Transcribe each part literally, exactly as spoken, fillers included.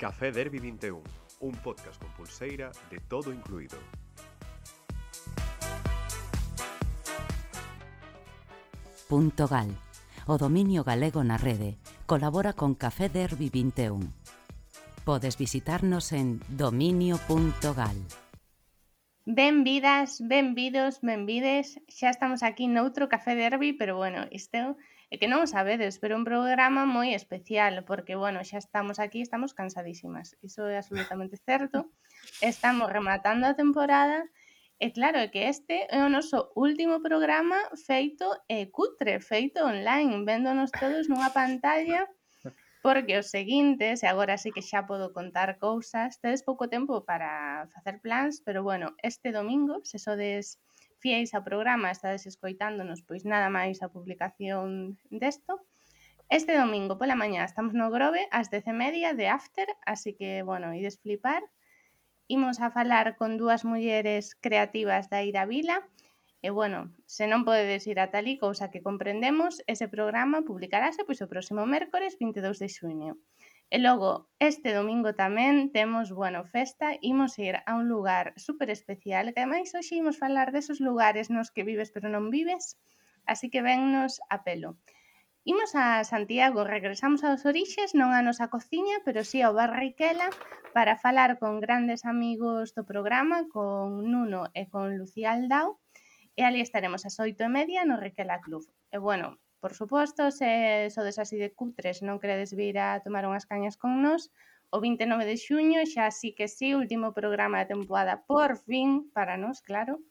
Café Derby vinte e un, un podcast con pulseira de todo incluído. Punto Gal, o dominio galego na rede, colabora con Café Derby vinte e un. Podes visitarnos en dominio punto gal. Benvidas, benvidos, benvides. Xa estamos aquí noutro Café Derby, pero bueno, isto é que non o sabedes, pero un programa moi especial, porque bueno, xa estamos aquí, estamos cansadísimas. Iso é absolutamente certo. Estamos rematando a temporada e claro, é que este é o noso último programa feito eh, cutre, feito online, véndonos todos nunha pantalla. Porque os seguintes, e agora sí que xa podo contar cousas, tedes pouco tempo para facer plans, pero bueno, este domingo, se sodes fiéis ao programa, estades escoitándonos, pois nada máis a publicación desto. Este domingo pola mañá estamos no Grove ás dez e media de After, así que, bueno, ides flipar. Imos a falar con dúas mulleres creativas da Ira Vila. E, bueno, se non podedes ir a talí, cousa que comprendemos, ese programa publicarase pois o próximo mércores vinte e dous de xuño. E logo, este domingo tamén temos, bueno, festa, imos ir a un lugar super especial, que ademais hoxe imos falar desos lugares nos que vives pero non vives, así que vennos a pelo. Imos a Santiago, regresamos aos orixes, non a nosa cociña, pero sí ao Bar Riquela, para falar con grandes amigos do programa, con Nuno e con Lucía Aldao. E ali estaremos ás oito e media no Riquela Club. E, bueno, por suposto, se sodes así de cutres non queredes vir a tomar unhas cañas con nós, o vinte e nove de xuño, xa sí que sí, último programa da temporada, por fin, para nós, claro,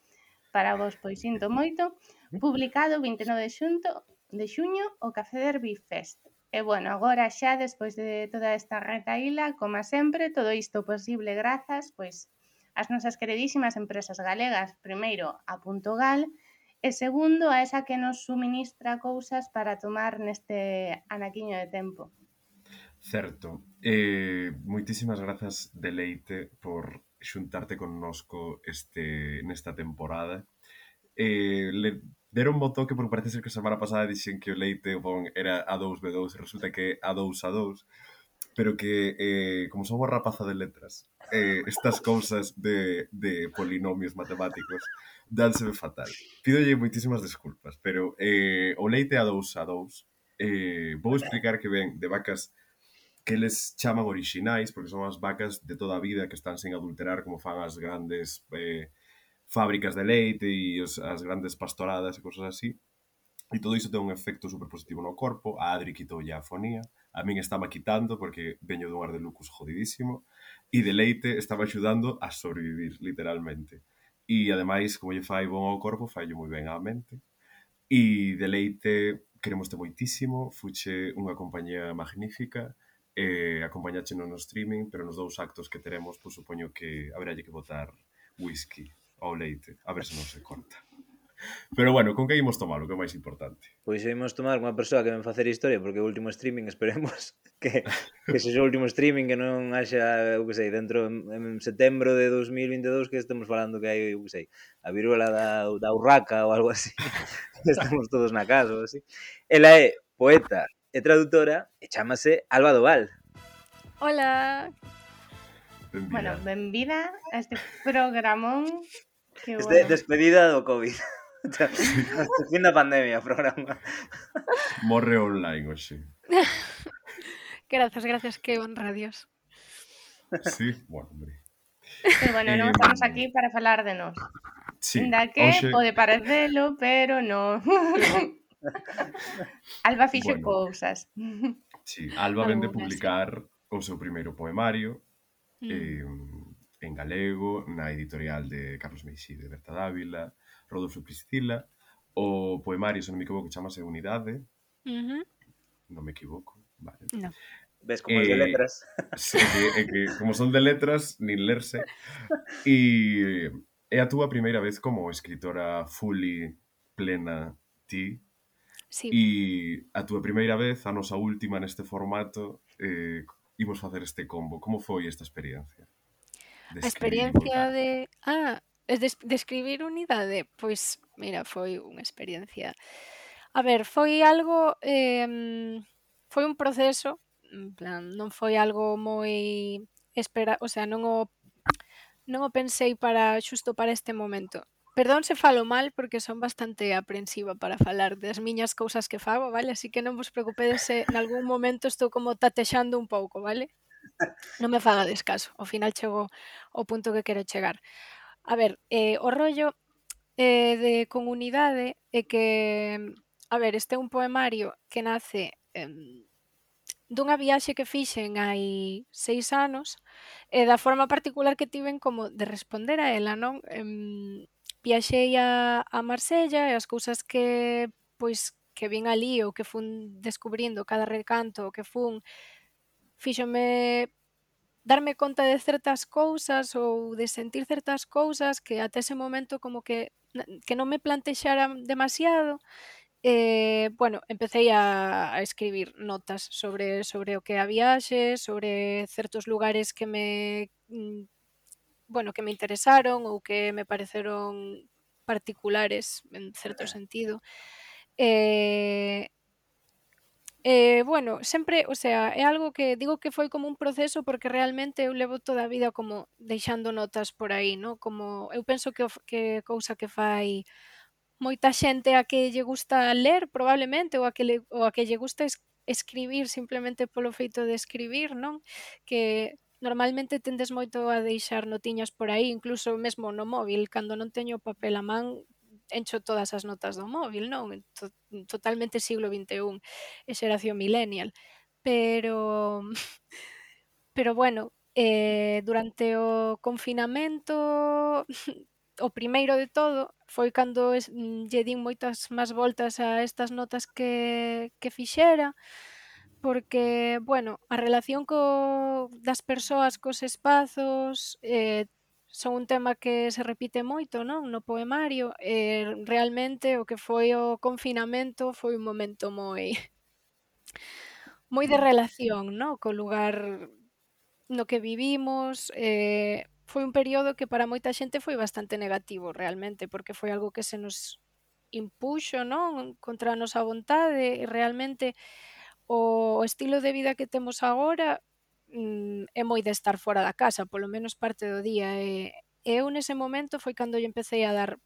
para vos, pois sinto moito, publicado vinte e nove de xunto, de xuño, o Café Derby Fest. E, bueno, agora xa, despois de toda esta retaíla, como sempre, todo isto posible grazas, pois, as nosas queridísimas empresas galegas, primeiro a Punto Gal e segundo a esa que nos suministra cousas para tomar neste anaquiño de tempo. Certo. Eh, moitísimas grazas, Deleite, por xuntarte connosco este, nesta temporada. Eh, le deron bo toque porque parece ser que a semana pasada dixen que o Leite o bon era A dous B dous e resulta que é A dous A dous, pero que eh, como somos rapaza de letras, eh, estas cousas de, de polinomios matemáticos dánseme fatal. Pídolle moitísimas desculpas, pero eh, o leite A dous A dous eh, vou explicar que ven de vacas que eles chaman orixinais, porque son as vacas de toda a vida que están sen adulterar como fan as grandes eh, fábricas de leite e os, as grandes pastoradas e cosas así. E todo iso ten un efecto super positivo no corpo. A Adri quitoulle a afonía, a min estaba quitando porque veño dun ar de lucus jodidísimo, e de leite estaba axudando a sobrevivir, literalmente. E ademais, como lle fai bon ao corpo, fai moi ben á mente. E de leite queremoste moitísimo, fuche unha compañía magnífica, eh, acompañácheno no streaming, pero nos dous actos que teremos, pois supoño que haberalle que botar whisky ao leite, a ver se non se corta. Pero bueno, con que imos tomar, o que é máis importante? Pois imos tomar unha persoa que ven facer historia, porque o último streaming esperemos que, que sexa o último streaming, que non haxa, eu que sei, dentro en, en setembro de dos mil vinte e dous que estemos falando que hai, eu que sei, a viruela da, da urraca ou algo así, estamos todos na casa ou así. Ela é poeta e traductora e chámase Alba Doval. Hola. Benvida. Bueno, benvida a este programón. Que, Este bueno, despedida do COVID. Fin da pandemia, programa. Morre online hoxe. Gracias, gracias, que honra, Dios. Sí, bueno, hombre. pero bueno, non Eh, estamos aquí para falar de nós. Sí, Da que hoxe... pode parecelo, pero non. Alba fixo Bueno. cousas. Sí, Alba vende Algunas, publicar o seu primeiro poemario Mm. eh, en galego na editorial de Carlos Meixí de Berta Dávila, Rodolfo Priscila. O poemario, se non me equivoco, chamase Unidade. Ujú. Non me equivoco, vale. No. Ves como as de Eh, letras. Sí, que, é que como son de letras, nin lerse. E é a túa primeira vez como escritora fully plena ti. Sí. E a túa primeira vez, a nosa última neste formato, eh, imos facer este combo. Como foi esta experiencia? De A escribir experiencia Unidade. de... Ah, es de, de escribir unidade, pois, mira, foi unha experiencia... A ver, foi algo... Eh, foi un proceso En plan, non foi algo moi espera, o sea, non o non o pensei para xusto para este momento. Perdón se falo mal porque son bastante aprensiva para falar das miñas cousas que fago, vale? Así que non vos preocupedes se nalgún momento estou como tatexando un pouco, vale? Non me fagades caso, ao final chego ao punto que quero chegar. A ver, eh, o rollo eh, de comunidade é que, a ver, este é un poemario que nace em, dunha viaxe que fixen hai seis anos e da forma particular que tiven como de responder a ela, non? Em, viaxei a, a Marsella e as cousas que, pois, que vin ali ou que fun descubrindo cada recanto que fun, fíxome darme conta de certas cousas ou de sentir certas cousas que até ese momento como que que non me plantexaran demasiado. Eh, bueno, empecei a, a escribir notas sobre, sobre o que a viaxe, sobre certos lugares que me mm, bueno, que me interesaron ou que me pareceron particulares en certo sentido. Eh, Eh, bueno, sempre, o sea, é algo que digo que foi como un proceso porque realmente eu levo toda a vida como deixando notas por aí, ¿no? Como eu penso que o f que cousa que fai moita xente a que lle gusta ler probablemente ou a que le ou a que lle gusta es escribir simplemente polo feito de escribir, non? Que normalmente tendes moito a deixar notiñas por aí, incluso mesmo no móvil, cando non teño papel a man, encho todas as notas do móvil, non? To totalmente siglo vinte e un e xeración millennial. Pero pero bueno, eh, durante o confinamento o primeiro de todo foi cando es lle din moitas máis voltas a estas notas que que fixera, porque, bueno, a relación co das persoas cos espazos, eh, son un tema que se repite moito, non, no poemario, e realmente o que foi o confinamento foi un momento moi moi de relación, no, co lugar no que vivimos, eh, foi un período que para moita xente foi bastante negativo realmente, porque foi algo que se nos impuxo, non, contra a nosa vontade e realmente o estilo de vida que temos agora mm, é moi de estar fora da casa, polo menos parte do día e, e eu nese momento foi cando lle empecé a dar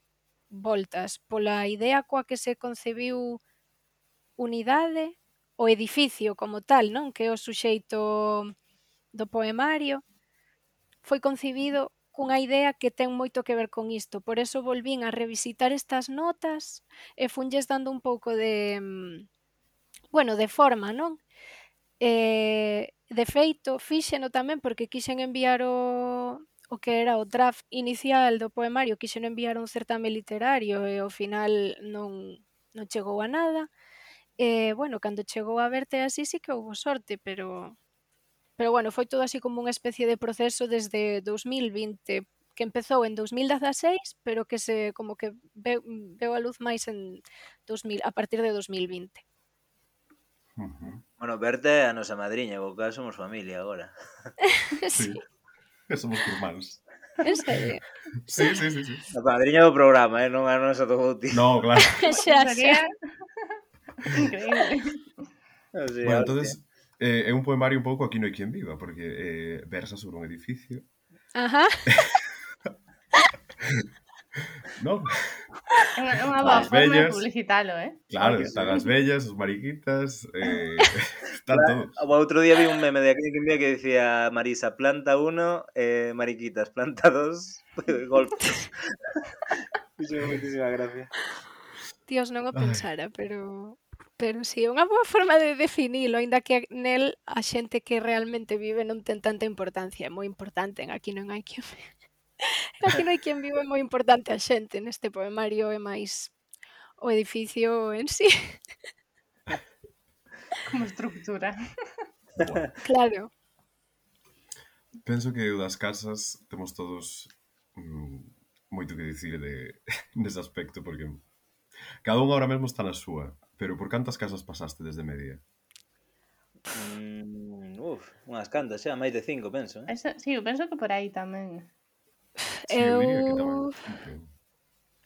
voltas pola idea coa que se concebiu unidade, o edificio como tal, non, que é o suxeito do poemario, foi concibido cunha idea que ten moito que ver con isto. Por eso volvín a revisitar estas notas e funlles dando un pouco de, mm, bueno, de forma, non? Eh, de feito, fíxeno tamén porque quixen enviar o o que era o draft inicial do poemario, quixen enviar a un certame literario e ao final non non chegou a nada. E, bueno, cando chegou a Verte así sí que houbo sorte, pero pero bueno, foi todo así como unha especie de proceso desde dous mil vinte, que empezou en dous mil dezaseis, pero que se como que veu veu a luz máis en dos mil a partir de dos mil vinte. Ujú. Bueno, Berta é a nosa madriña, co cal somos familia agora. Sí, Sí, somos irmáns. en serio. Sí, sí, sí, sí. A madriña do programa, eh, non a nosa do bautismo. No, claro. Xa, xa. Sería increíble. Así, Bueno, hostia. entonces eh, é un poemario un pouco Aquí non hai quen viva, porque eh, versa sobre un edificio. Ajá. Non? É unha, é unha boa As forma de vellas. publicitalo, eh? Claro, Porque están as vellas, os mariquitas, eh, están todos. O outro día vi un meme de Aquí non hai quen viva que decía Marisa, planta uno, eh, mariquitas, planta dos, golpes. Fixo moitísima gracia. Dios, non o Ai. pensara, pero pero si, é unha boa forma de definilo, aínda que nel a xente que realmente vive non ten tanta importancia, é moi importante en Aquí non hai quen Aquí non hai quen vive, é moi importante a xente, neste poemario é máis o edificio en sí. como estructura. Buah. Claro. Penso que o das casas temos todos mm, moito que dicir de, nese aspecto, porque cada un ahora mesmo está na súa, pero por cantas casas pasaste desde media? Mm, uf, unhas cantas xa, máis de cinco, penso, eh? Eso, sí, eu penso que por aí tamén. Sí, eu Eu diría que tamén. Okay.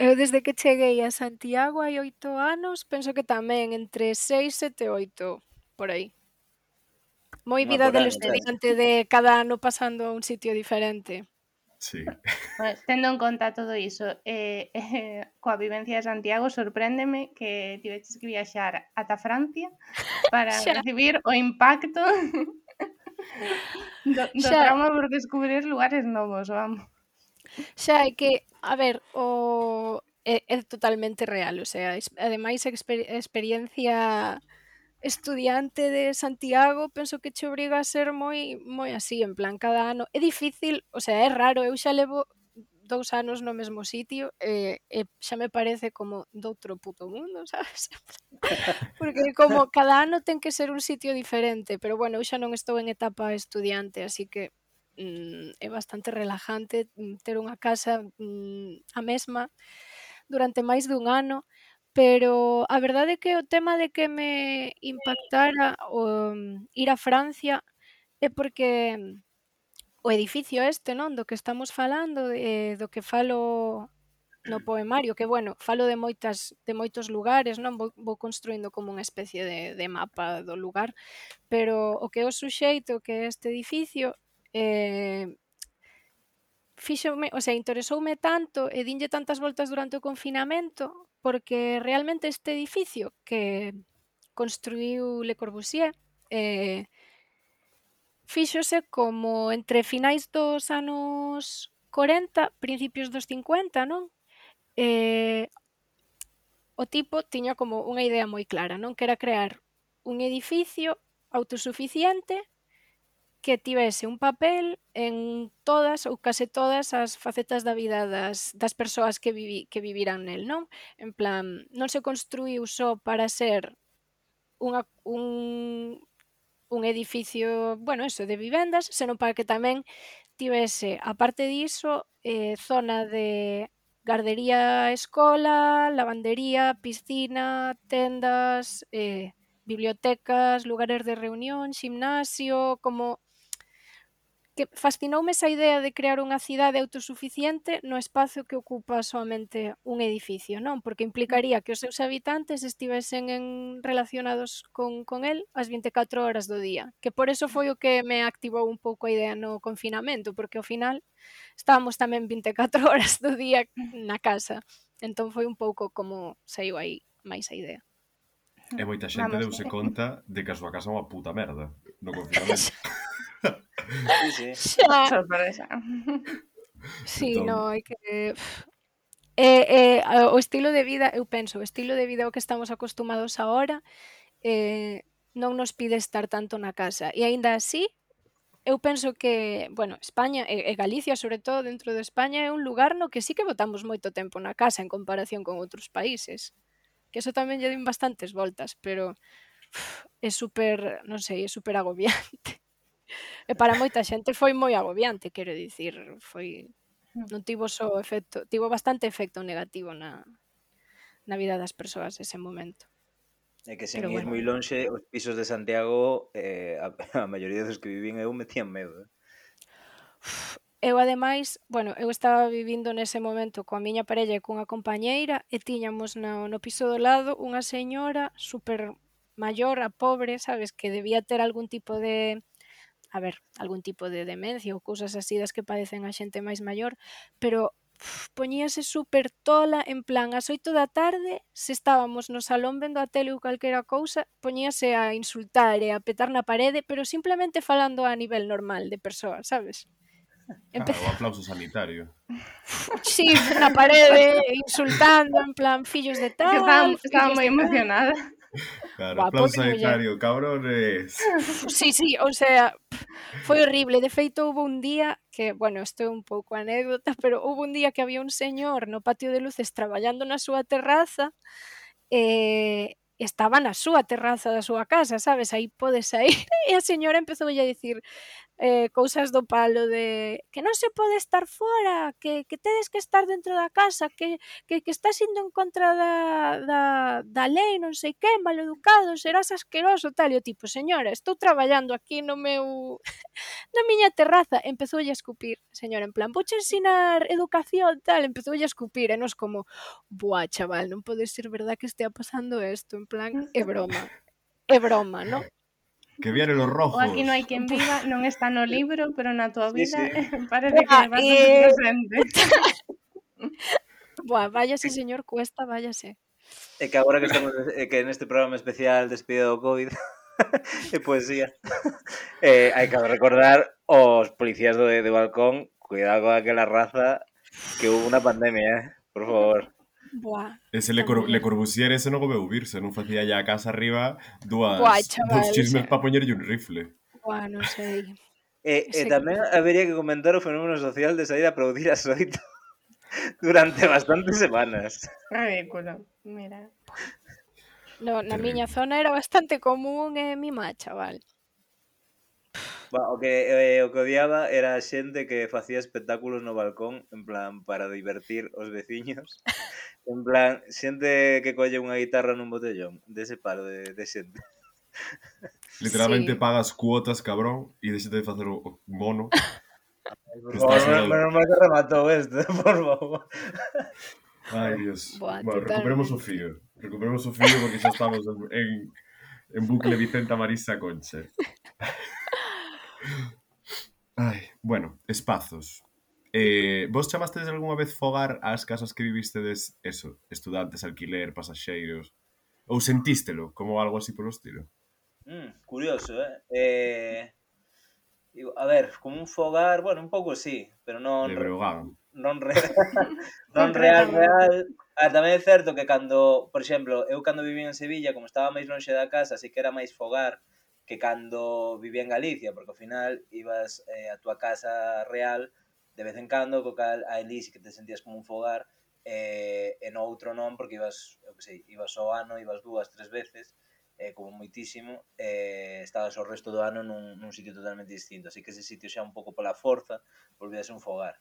eu desde que cheguei a Santiago hai oito anos, penso que tamén entre seis, sete, oito, por aí. Moi Unha vida por del ano, sabes? estudiante de cada ano pasando a un sitio diferente. Sí. Bueno, tendo en conta todo iso, eh, eh, coa vivencia de Santiago, sorpréndeme que tiveches que viaxar ata Francia para Xa, recibir o impacto do, do xa, trauma por descubrir lugares novos, vamos. xa é que, a ver, o é, é totalmente real, o sea, es, ademais a exper experiencia estudiante de Santiago penso que che obriga a ser moi moi así, en plan, cada ano é difícil, o sea, é raro, eu xa levo dous anos no mesmo sitio e, e xa me parece como doutro puto mundo, sabes? Porque como cada ano ten que ser un sitio diferente, pero bueno, eu xa non estou en etapa estudiante, así que mm, é bastante relajante mm, ter unha casa mm, a mesma durante máis dun ano, pero a verdade é que o tema de que me impactara o mm, ir a Francia é porque mm, o edificio este, non, do que estamos falando, eh, do que falo no poemario, que bueno, falo de moitas de moitos lugares, non, vou vou construindo como unha especie de de mapa do lugar, pero o que é o suxeito, que é este edificio, eh, fíxome, o sea, interesoume tanto e dinlle tantas voltas durante o confinamento, porque realmente este edificio que construíu Le Corbusier, eh, fíxose como entre finais dos anos corenta, principios dos cincuenta, non? Eh, o tipo tiña como unha idea moi clara, non? Que era crear un edificio autosuficiente que tivese un papel en todas ou case todas as facetas da vida das, das persoas que, vivi, que viviran nel, non? En plan, non se construíu só para ser unha, un, un edificio, bueno, eso, de vivendas, senón para que tamén tivese, aparte diso, eh, zona de gardería escola, lavandería, piscina, tendas, eh, bibliotecas, lugares de reunión, ximnasio, como que fascinoume esa idea de crear unha cidade autosuficiente no espazo que ocupa soamente un edificio, non? Porque implicaría que os seus habitantes estivesen en relacionados con, con el as vinte e catro horas do día, que por eso foi o que me activou un pouco a idea no confinamento, porque ao final estábamos tamén vinte e catro horas do día na casa, entón foi un pouco como saiu aí máis a idea. E moita xente Vamos, deuse eh, conta de que a súa casa é unha puta merda no confinamento. Sí, sí. Xa, sorpresa. sí, Entón, no, hai que Eh, eh, a- o estilo de vida, eu penso, o estilo de vida ao que estamos acostumados agora eh, non nos pide estar tanto na casa. E aínda así, eu penso que, bueno, España e, e Galicia, sobre todo dentro de España, é un lugar no que sí que botamos moito tempo na casa en comparación con outros países. Que eso tamén lle din bastantes voltas, pero uf, é super, non sei, é super agobiante. E para moita xente foi moi agobiante, quero dicir, foi non tivo só efecto, tivo bastante efecto negativo na, na vida das persoas ese momento. É que sen Pero ir bueno, moi lonxe, os pisos de Santiago, eh, a, a maioría dos que vivín eu metían medo. Eh? eu ademais, bueno, eu estaba vivindo nese momento coa miña parella e cunha compañeira e tiñamos no, no piso do lado unha señora super maior, a pobre, sabes, que debía ter algún tipo de, a ver, algún tipo de demencia ou cousas así das que padecen a xente máis maior, pero uf, poñíase super tola, en plan, ás oito da tarde, se estábamos no salón vendo a tele ou calquera cousa, poñíase a insultar e a petar na parede, pero simplemente falando a nivel normal de persoa, sabes? ah, o Empezaba, aplauso sanitario. sí, na parede, insultando, en plan, fillos de Que estaba, tal, estaba fillos moi de tal. emocionada. Claro, Buah, aplauso pobre muller. sanitario, cabrones. Sí, sí, o sea, foi horrible. De feito, houve un día que, bueno, isto é un pouco anécdota, pero houve un día que había un señor no patio de luces traballando na súa terraza e estaba na súa terraza da súa casa, sabes? Aí podes saír e a señora empezoulle a dicir eh, cousas do palo de que non se pode estar fora, que, que tedes que estar dentro da casa, que, que, que estás indo en contra da, da, da lei, non sei que, maleducado, serás asqueroso, tal, e o tipo, señora, estou traballando aquí no meu na miña terraza, empezoulle a escupir, señora, en plan, vouche ensinar educación, tal, empezoulle a escupir, e nos como, buah, chaval, non pode ser verdad que estea pasando isto, en plan, é broma, é broma, non? Que vienen los O rojos. Aquí non hai quen viva non está no libro, pero na tua Sí, vida sí. parece que Buah, é bastante eh, presente. Buah, váyase, señor Cuesta, váyase. É que agora que estamos é que neste programa especial despedida do COVID e poesía, eh, hai que recordar os policías do, de balcón, cuidado con aquela raza que hubo unha pandemia, eh? Por favor. Buah, Ese Le, esta Cor Le muller. Corbusier ese non o veu vir, se non facía ya a casa arriba Buah, dúas, chaval, dous chismes ese... para poñerlle un rifle. Buah, non sei. E, e Ese... tamén habería que comentar o fenómeno social de sair a aplaudir a Soito durante bastantes semanas. Ridículo, mira. No, na Terrible. miña zona era bastante común e mimá, chaval. Ba, o que eh, o que odiaba era a xente que facía espectáculos no balcón en plan para divertir os veciños. En plan, xente que colle unha guitarra nun botellón, dese palo de, de xente. Literalmente Sí. pagas cuotas, cabrón, e deixate de facer o, o mono. Por Que favor, estás menos, solo... menos mal que rematou este, por favor. Ai, Dios. Buah, Bueno, recuperemos o totalmente. fío. Recuperemos o fío porque xa estamos en, en, en bucle Vicenta Marisa Conche. Ai, bueno, espazos. Eh, vos chamastes algunha vez fogar ás casas que vivistedes, eso, estudantes, alquiler, pasaxeiros? Ou sentístelo como algo así polo estilo? Mm, curioso, eh? eh? A ver, como un fogar, bueno, un pouco sí, pero non De Breogán. non real, non real, Concretamente. real. Ah, tamén é certo que cando, por exemplo, eu cando vivía en Sevilla, como estaba máis lonxe da casa, así que era máis fogar que cando vivía en Galicia, porque ao final ibas eh, a túa casa real de vez en cando, co cal a Elí sí que te sentías como un fogar, eh, e no outro non, porque ibas, eu que sei, ibas ao ano, ibas dúas, tres veces, eh, como moitísimo, eh, estabas o resto do ano nun, nun sitio totalmente distinto, así que ese sitio xa un pouco pola forza volvía a ser un fogar.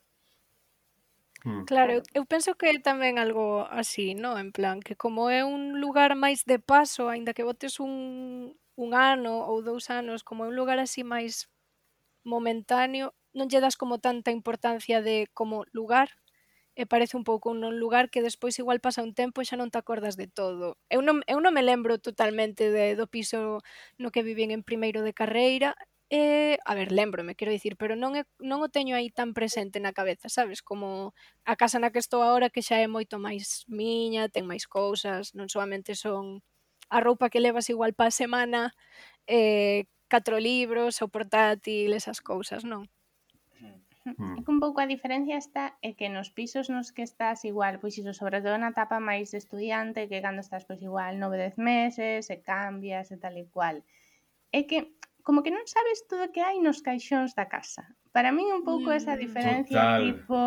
Hmm. Claro, eu, eu penso que é tamén algo así, no? En plan, que como é un lugar máis de paso, aínda que botes un, un ano ou dous anos, como é un lugar así máis momentáneo, non lle das como tanta importancia de como lugar, e parece un pouco un non lugar que despois igual pasa un tempo e xa non te acordas de todo. Eu non, eu non me lembro totalmente de, do piso no que vivín en primeiro de carreira, e, a ver, lembrome, quero dicir, pero non, é, non o teño aí tan presente na cabeza, sabes? Como a casa na que estou agora que xa é moito máis miña, ten máis cousas, non solamente son a roupa que levas igual pa semana, eh, catro libros, o portátil, esas cousas, non? Hmm. É que un pouco a diferencia está é que nos pisos nos que estás igual, pois iso, sobre todo na etapa máis de estudiante, que cando estás pois igual nove, dez meses, e cambias e tal e cual. É que como que non sabes todo o que hai nos caixóns da casa. Para min un pouco esa Mm. diferencia, Total. tipo,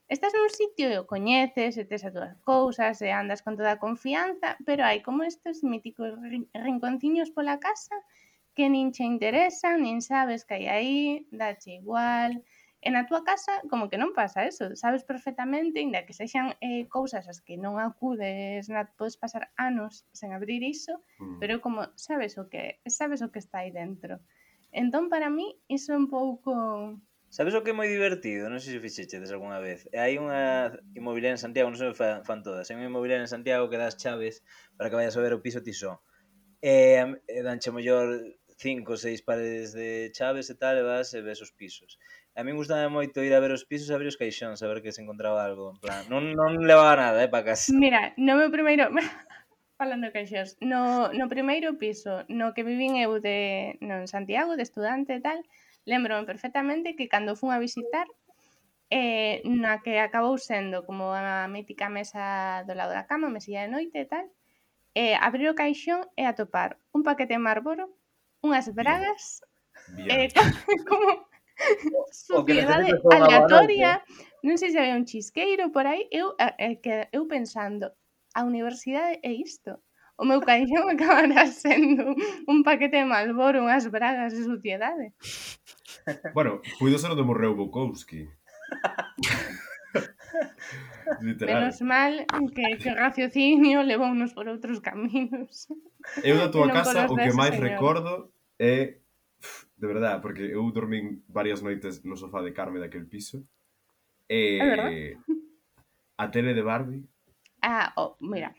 estás nun sitio e o coñeces, e tes as túas cousas, e andas con toda a confianza, pero hai como estes míticos rin- rinconciños pola casa que nin che interesan, nin sabes que hai aí, dache igual. E na túa casa como que non pasa eso, sabes perfectamente, inda que sexan eh, cousas as que non acudes, na, podes pasar anos sen abrir iso, Hmm. pero como sabes o que sabes o que está aí dentro. Entón para mí iso é un pouco Sabes o que é moi divertido? Non sei se fixechedes algunha vez. Hai unha inmobiliaria en Santiago, non sei se fan, fan todas. Hai unha inmobiliaria en Santiago que das chaves para que vayas a ver o piso ti só. E, e danche mellor cinco ou seis pares de chaves e tal, e vas e ves os pisos. A min gustaba moito ir a ver os pisos e abrir os caixóns, a ver que se encontraba algo. En plan, non, non levaba nada, eh, para casa. Mira, no meu primeiro falando de caixóns, no, no primeiro piso no que vivín eu de, no, en Santiago, de estudante e tal, lembrome perfectamente que cando fun a visitar, eh, na que acabou sendo como a mítica mesa do lado da cama, mesilla de noite e tal, eh, abrir o caixón e atopar un paquete de Marlboro, unhas bragas, Bien. eh, como O que suciedade necesitas son unha boa noite. aleatoria, non sei se había un chisqueiro por aí, eu, eh, que eu pensando, a universidade é isto. O meu caixón acabará sendo un paquete de Marlboro, unhas bragas de suciedade. Bueno, puido ser onde morreu Bukowski. Literal. Menos mal que, que o raciocinio levounos por outros caminos. Eu da E tua non casa polos o que dese máis señor. recordo é, de verdade, porque eu dormín varias noites no sofá de Carme daquel piso. É verdad. E a tele de Barbie. Ah, oh, mira,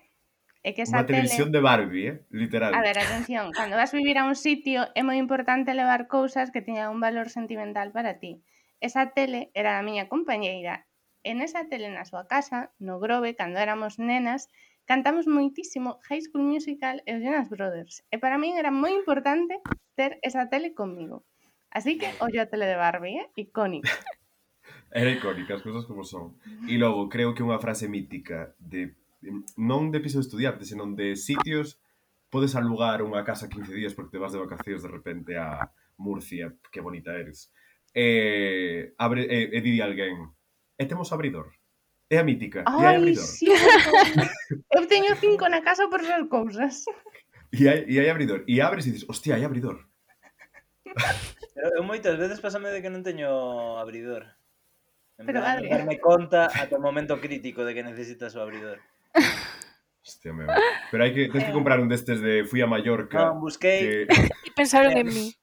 É que esa Unha televisión tele... de Barbie, eh? Literal. A ver, atención, cando vas vivir a un sitio é moi importante levar cousas que teñan un valor sentimental para ti. Esa tele era a miña compañeira. En esa tele na súa casa, no Grove, cando éramos nenas, cantamos moitísimo High School Musical e os Jonas Brothers. E para min era moi importante ter esa tele conmigo. Así que, ollo a tele de Barbie, eh? Icónica. Era icónica, as cousas como son. E logo, creo que unha frase mítica de non de piso de estudiantes, senón de sitios, podes alugar unha casa quince días porque te vas de vacacións de repente a Murcia, que bonita eres. E, abre, e, e di alguén, e temos abridor. É a mítica, e hai Ai, abridor. sí, montón. Eu teño cinco na casa por ver cousas. E hai, e hai abridor. E abres e dices, hostia, hai abridor. Pero eu moitas veces pásame de que non teño abridor. En Pero, plan, Adri... non darme conta ata o momento crítico de que necesitas o abridor. Hostia, meu. Pero hai que, tens que comprar un destes de fui a Mallorca. Non, busquei... Que... E pensaron Eh, en mí.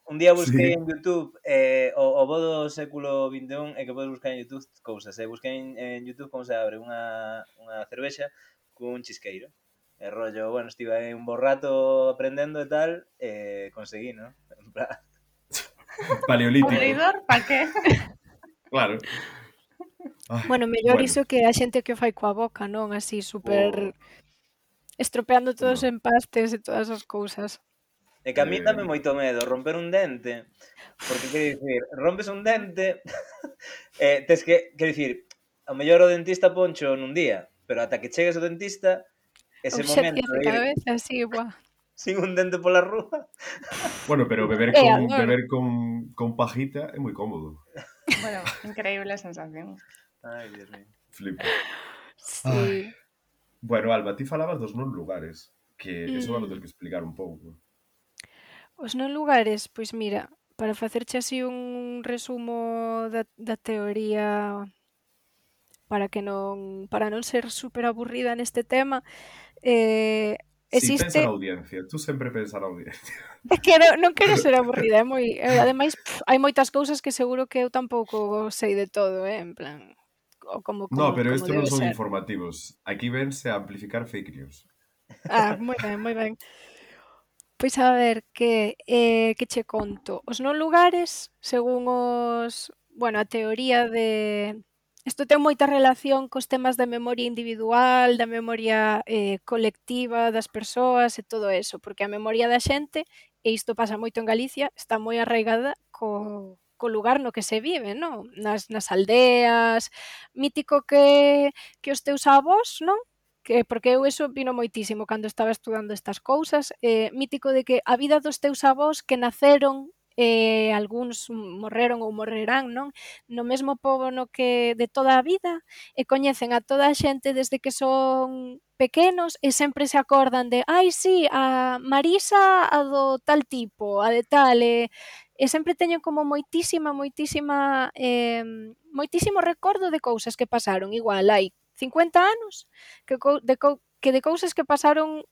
Un día busquei Sí. en YouTube eh, o, o bo do século vinte e un e que podes buscar en YouTube cousas. E busquei en, en YouTube como se abre unha, unha cervexa cun chisqueiro. E rollo, bueno, estive aí un bo rato aprendendo e tal, e conseguí, ¿no? En plan... Paleolítico. Abridor, pa que? Claro. Ay, Bueno, mellor bueno. iso que a xente que o fai coa boca, non? Así, super... Oh, estropeando todos os no. empastes e todas as cousas. E que a mí Eh, dame moito medo romper un dente, porque, quero dicir, rompes un dente, eh, tes que, quero dicir, ao mellor o dentista poncho nun día, pero ata que chegues ao dentista, ese momento Urxencias de de ir cabeza, así, buah. sin un dente pola rúa... Bueno, pero beber Eh, con, adoro. beber con, con pajita é moi cómodo. Bueno, increíble sensación. Ai, Dios mío. Flipo. Sí. Bueno, Alba, ti falabas dos non lugares, que eso Mm. vamos ter que explicar un pouco. Os non lugares, pois mira, para facerche así un resumo da, da teoría para que non para non ser super aburrida neste tema, eh, Si, pensa na existe audiencia. Tú sempre pensa na audiencia. é que non, non quero ser aburrida, é moi, eh, ademais pff, hai moitas cousas que seguro que eu tampouco sei de todo, eh, en plan o como No, como pero como estes non debe son ser. informativos. Aquí vense a amplificar fake news. Ah, moi ben, moi ben. Pois a ver, que eh, que che conto. Os non lugares, según os, bueno, a teoría de isto ten moita relación cos temas da memoria individual, da memoria eh, colectiva das persoas e todo eso, porque a memoria da xente, e isto pasa moito en Galicia, está moi arraigada co, co lugar no que se vive, non? Nas, nas aldeas, mítico que, que os teus avós, non? Que, porque eu eso vino moitísimo cando estaba estudando estas cousas, eh, mítico de que a vida dos teus avós que naceron, eh, algúns morreron ou morrerán, non? No mesmo pobo no que de toda a vida, e coñecen a toda a xente desde que son pequenos e sempre se acordan de ai, sí, a Marisa a do tal tipo, a de tal, e, e sempre teñen como moitísima, moitísima, eh, moitísimo recordo de cousas que pasaron, igual hai cincuenta anos que, co, de, co, que de cousas que pasaron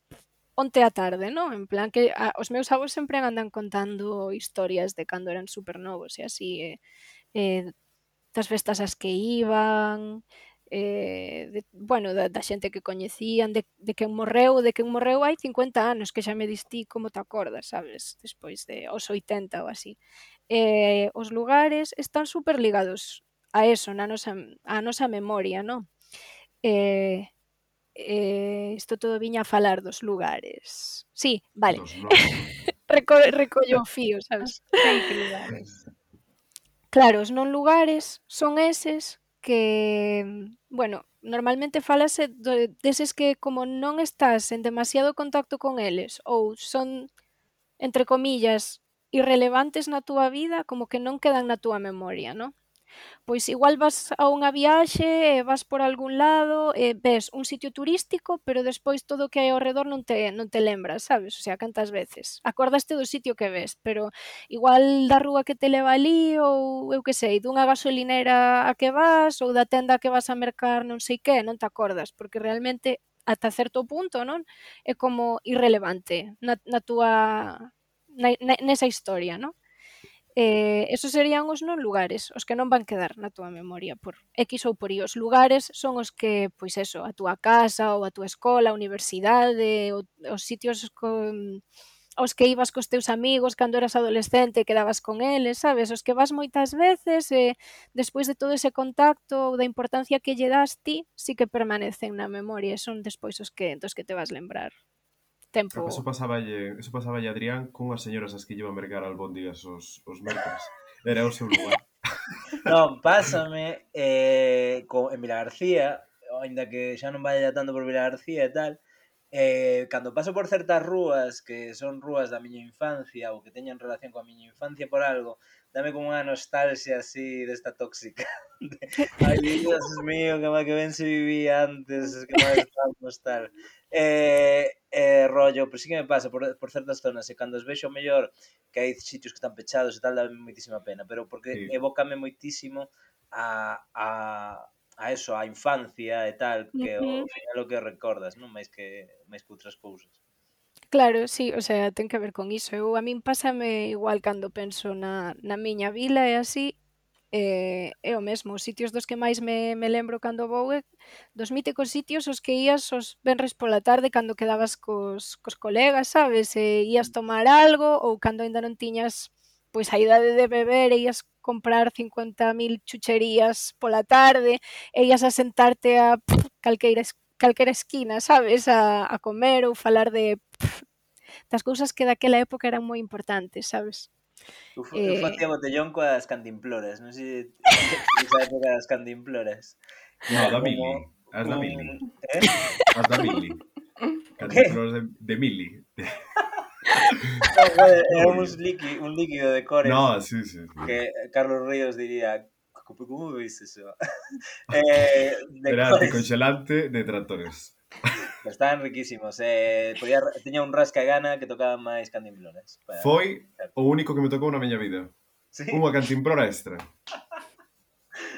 onte á tarde, non? En plan que a, os meus avós sempre andan contando historias de cando eran supernovos e así, e, e das festas ás que iban, eh, de, bueno, da, da xente que coñecían, de, de quen morreu, de quen morreu hai cincuenta anos, que xa me distí como te acordas, sabes? Despois de os oitenta ou así. Eh, os lugares están super ligados a eso, na nosa, a nosa memoria, non? Eh, eh, isto todo viña a falar dos lugares. Sí, vale. Dos non. Reco recollo o fío, sabes? Fake lugares. Claro, os non lugares son eses que, bueno, normalmente falase do, deses que como non estás en demasiado contacto con eles ou son, entre comillas, irrelevantes na túa vida, como que non quedan na túa memoria, non? Pois igual vas a unha viaxe e vas por algún lado e ves un sitio turístico, pero despois todo o que hai ao redor non te, non te lembras, sabes? O sea, cantas veces. Acordaste do sitio que ves, pero igual da rúa que te leva ali ou, eu que sei, dunha gasolinera a que vas ou da tenda a que vas a mercar non sei que, non te acordas, porque realmente ata certo punto, non? É como irrelevante na, na túa, na, na, nesa historia, non? Eh, esos serían os non lugares, os que non van quedar na túa memoria por X ou por Y. Os lugares son os que, pois eso, a túa casa ou a túa escola, a universidade, o, os sitios con, aos que ibas cos teus amigos cando eras adolescente e quedabas con eles, sabes? Os que vas moitas veces e despois de todo ese contacto ou da importancia que lle das ti, sí que permanecen na memoria e son despois os que, dos que te vas lembrar. Eso Tempo. pasáballe, eso pasáballe a Adrián cunhas señoras as que llevan mercar albóndigas os, os mércores. Era o seu lugar. Non, pásame eh, co, en Vilagarcía, ainda que xa non vaya tanto por Vilagarcía e tal, eh, cando paso por certas rúas que son rúas da miña infancia ou que teñan relación coa miña infancia por algo, dame como unha nostalgia así desta tóxica. De, ai, Dios mío, que mal que ben se vivía antes, que mal estábamos tal. Eh, eh, rollo, pero sí que me pasa por, por certas zonas e cando os vexo mellor que hai sitios que están pechados e tal, dá moitísima pena, pero porque Sí. evócame moitísimo a, a, a eso, a infancia e tal, que Ujú. ao final o que recordas, non máis que máis que outras cousas. Claro, sí, o sea, ten que ver con iso. Eu a min pásame igual cando penso na, na miña vila e así, eh, é o mesmo. Os sitios dos que máis me, me lembro cando vou é dos míticos sitios os que ías os venres pola tarde cando quedabas cos, cos colegas, sabes? E ías tomar algo ou cando aínda non tiñas pois a idade de beber e ías comprar cincuenta mil chucherías pola tarde e ías a sentarte a pff, calqueira, es- calquera esquina, sabes? A, a comer ou falar de pff, das cousas que daquela época eran moi importantes, sabes? Eu, fa- eu Eh, facía botellón coas cantimploras, non sei se esa época das cantimploras. Que No, era da como Mili. As da un... Mili. Eh? As da Mili. O qué? Cantimploras de, de Mili. No, joder, No, era un, porque... líqui, un líquido de cores No, sí, sí, sí. que Carlos Ríos diría, "¿Cómo cómo veis eso?" eh, de Era cores, anticongelante de tractores. pero estaban riquísimos. Eh, podía, tiña un rasca gana que tocaba máis cantimploras. Para... Foi o único que me tocou na miña vida. Sí. Unha cantimplora extra.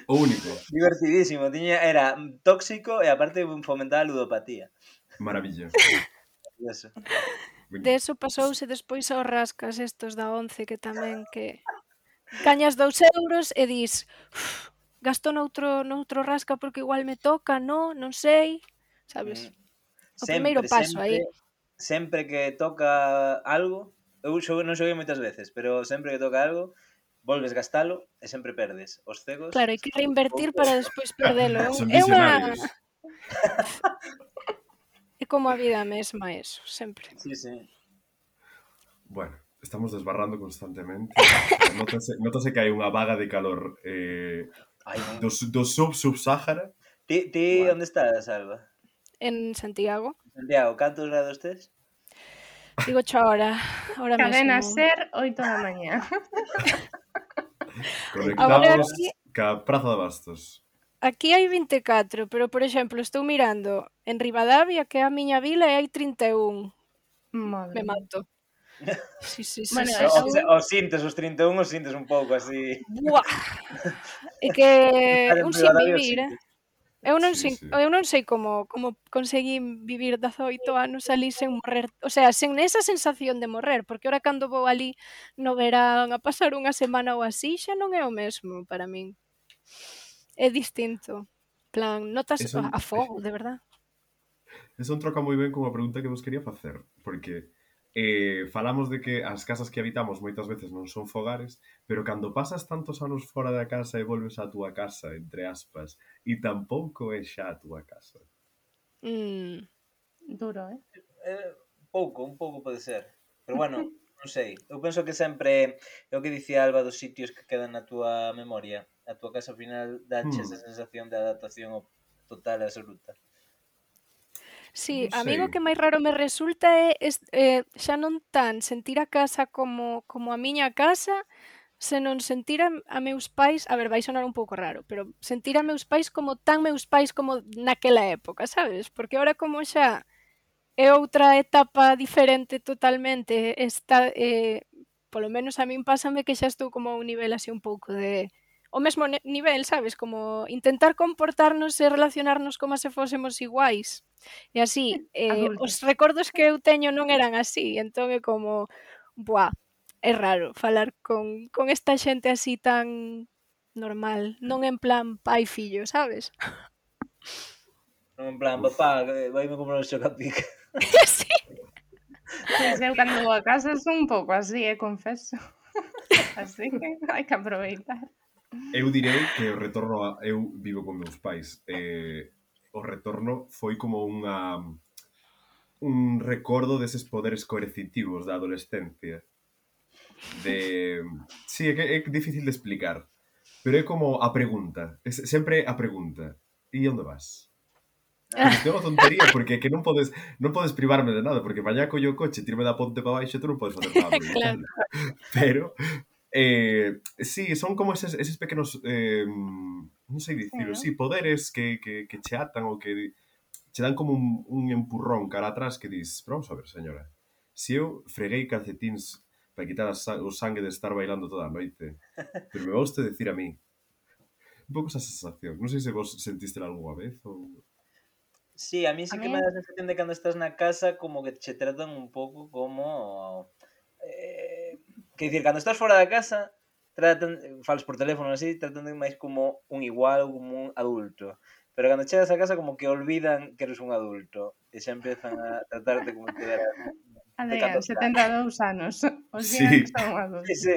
O único. Divertidísimo, tiña, era tóxico e aparte fomentaba a ludopatía. Maravilla. Eso. de eso pasouse despois aos rascas estos da once que tamén que gañas dous euros e dis "Uf, gasto noutro, noutro rasca porque igual me toca, no, non sei, sabes? Mm. O primeiro Sempre, paso sempre, aí. sempre que toca algo, eu xoguei, non xoguei moitas veces, pero sempre que toca algo, volves gastalo e sempre perdes. Os cegos, Claro, hai que reinvertir pouco. para despois perdelo. É, un, Son é unha visionarios. é como a vida mesma eso, sempre. Sí, sí. Bueno, estamos desbarrando constantemente. Nótase, nótase que hai unha vaga de calor eh, Ai, do, su- do sub-sub-Sáhara. ti, ti Bueno. onde estás, Alba? En Santiago. Santiago, cantos grados tes? Digo cho ahora, ahora Cadena mesmo. Ser, oito da mañá. Agora Conectados aquí, ca Praza de Bastos. aquí hai vinte e catro, pero por exemplo, estou mirando en Ribadavia, que é a miña vila, e hai trinta e un. Madre Me mía. mato. Sí, sí, sí, Bueno, sí, O, sí. eu, o sintes, os trinta e un os sintes un pouco así. Buah. É que Estar en un sin Ribadavia os vivir, eh? sintes. Eu non Sí, sei, sí. eu non sei como como conseguín vivir dezaoito anos ali sen morrer, o sea, sen esa sensación de morrer, porque ahora cando vou ali no verán a pasar unha semana ou así, xa non é o mesmo para min. É distinto. Plan, notas Eso, a a fogo, de verdad. eso troca moi ben con a pregunta que vos quería facer, porque eh, falamos de que as casas que habitamos moitas veces non son fogares, pero cando pasas tantos anos fora da casa e volves á túa casa, entre aspas, e tampouco é xa a túa casa. Mm. duro, eh? Eh, pouco, un pouco pode ser. Pero bueno, non sei. Eu penso que sempre é o que dicía Alba dos sitios que quedan na túa memoria. A túa casa ao final dache Hmm. esa sensación de adaptación total e absoluta. Sí, Non a min o sei. que máis raro me resulta é es, eh, xa non tan sentir a casa como como a miña casa, senón sentir a, a meus pais, a ver, vai sonar un pouco raro, pero sentir a meus pais como tan meus pais como naquela época, sabes? Porque ahora como xa é outra etapa diferente totalmente, está, eh, polo menos a min pásame que xa estou como a un nivel así un pouco de o mesmo ne- nivel, sabes? Como intentar comportarnos e relacionarnos como se fósemos iguais. E así, eh, Adultos. os recordos que eu teño non eran así, entón é como, buah, é raro falar con, con esta xente así tan normal, non en plan pai fillo, sabes? Non en plan, Uf. papá, vaime comprar un chocapic. Sí. Pois eu cando vou a casa son un pouco así, eh, confeso. Así que hai que aproveitar. Eu direi que o retorno a... Eu vivo con meus pais. Eh, o retorno foi como unha un recordo deses poderes coercitivos da adolescencia. De... Sí, é que é difícil de explicar. Pero é como a pregunta. É sempre a pregunta. E onde vas? Que é unha tontería, porque é que non podes non podes privarme de nada, porque mañá collo o coche, tirme da ponte para baixo, tú non podes facer nada. Claro. Pero, eh, sí, son como eses, eses pequenos, eh, non sei dicilo, Sí, sí, poderes que, que, que che atan ou que che dan como un, un empurrón cara atrás que dis, pero vamos a ver, señora, se eu freguei calcetíns para quitar a sa- o sangue de estar bailando toda a noite, pero me vos te decir a mí, un pouco esa sensación, non sei se vos sentiste algunha vez ou... Sí, a mí A sí que mí me dá a sensación de cando estás na casa como que che tratan un pouco como... Eh, que dicir, cando estás fora da casa tratan, falas por teléfono así, tratan de máis como un igual, como un adulto. Pero cando chegas a casa como que olvidan que eres un adulto e xa empezan a tratarte como se eras de Adrián, catorce setenta anos. e dous anos. Olvidan Sí, que son Sí, adultos. sí.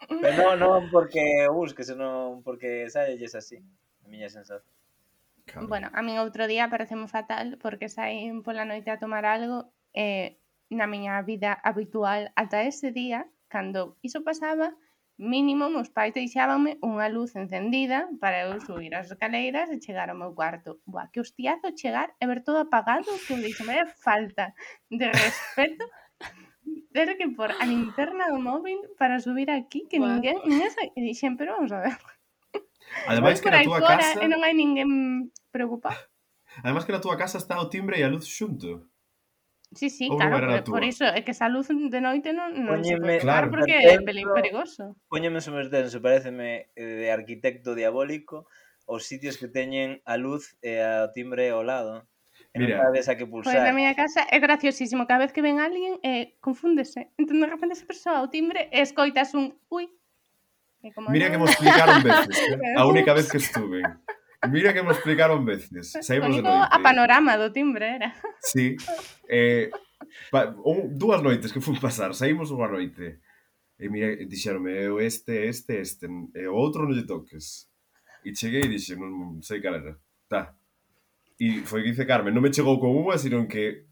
Pero non, non porque o busque, senón porque saelles así. A miña sensación. claro. Bueno, a min outro día pareceme fatal porque saín pola noite a tomar algo e na miña vida habitual ata ese día, cando iso pasaba, mínimo meus pais deixábanme unha luz encendida para eu subir as escaleiras e chegar ao meu cuarto. Buah, que hostiazo chegar e ver todo apagado, que eu dixo, vaya falta de respeto ter que por a linterna do móvil para subir aquí, que Buah. ninguén, ninguén sa... E dixen, pero vamos a ver, vou Ademais que por na aí túa fora casa, e non hai ninguén preocupado. ademais que na túa casa está o timbre e a luz xunto. Sí, sí, Ou non claro, era por, na por túa? iso é que esa luz de noite non, non se Póñeme pode tocar Claro. porque é super peli- tenso, perigoso. póñeme super tenso, pareceme eh, de arquitecto diabólico os sitios que teñen a luz e a timbre ao lado. E non Mira, sabes a que Pois na pulsar. miña casa é graciosísimo, cada vez que ven alguén eh, confúndese. Entón de repente esa persoa ao timbre e escoitas un ui. E como mira non, que me explicaron veces, eh? A única ups, vez que estuve. Mira que me explicaron veces. Saímos de único noite. a panorama do timbre era. Sí. Eh, pa, un, dúas noites que fun pasar, saímos unha noite. E mira, dixeronme, eu este, este, este, e o outro non lle toques. E cheguei e dixe, non sei cal era. Tá. E foi que dice Carmen, non me chegou con unha, sino que...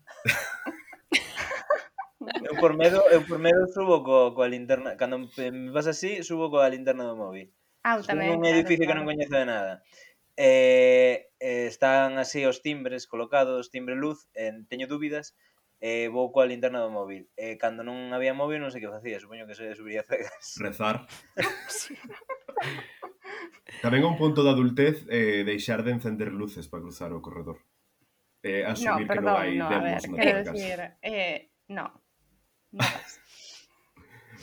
Eu por medo, eu por medo subo co, coa linterna, cando me pasa así, subo coa linterna do móvil. Ah, Estou tamén, nun claro, edificio que claro. non coñezo de nada. Eh, eh, están así os timbres colocados, timbre luz, eh, teño dúbidas, e eh, vou coa linterna do móvil. E eh, cando non había móvil non sei que facía, supoño que se subiría cegas. Rezar. Sí. Tamén un punto de adultez eh, deixar de encender luces para cruzar o corredor. Eh, No, asumir que non perdón, hai no, a ver, demos na quero tua casa. decir, eh, no, no pasa.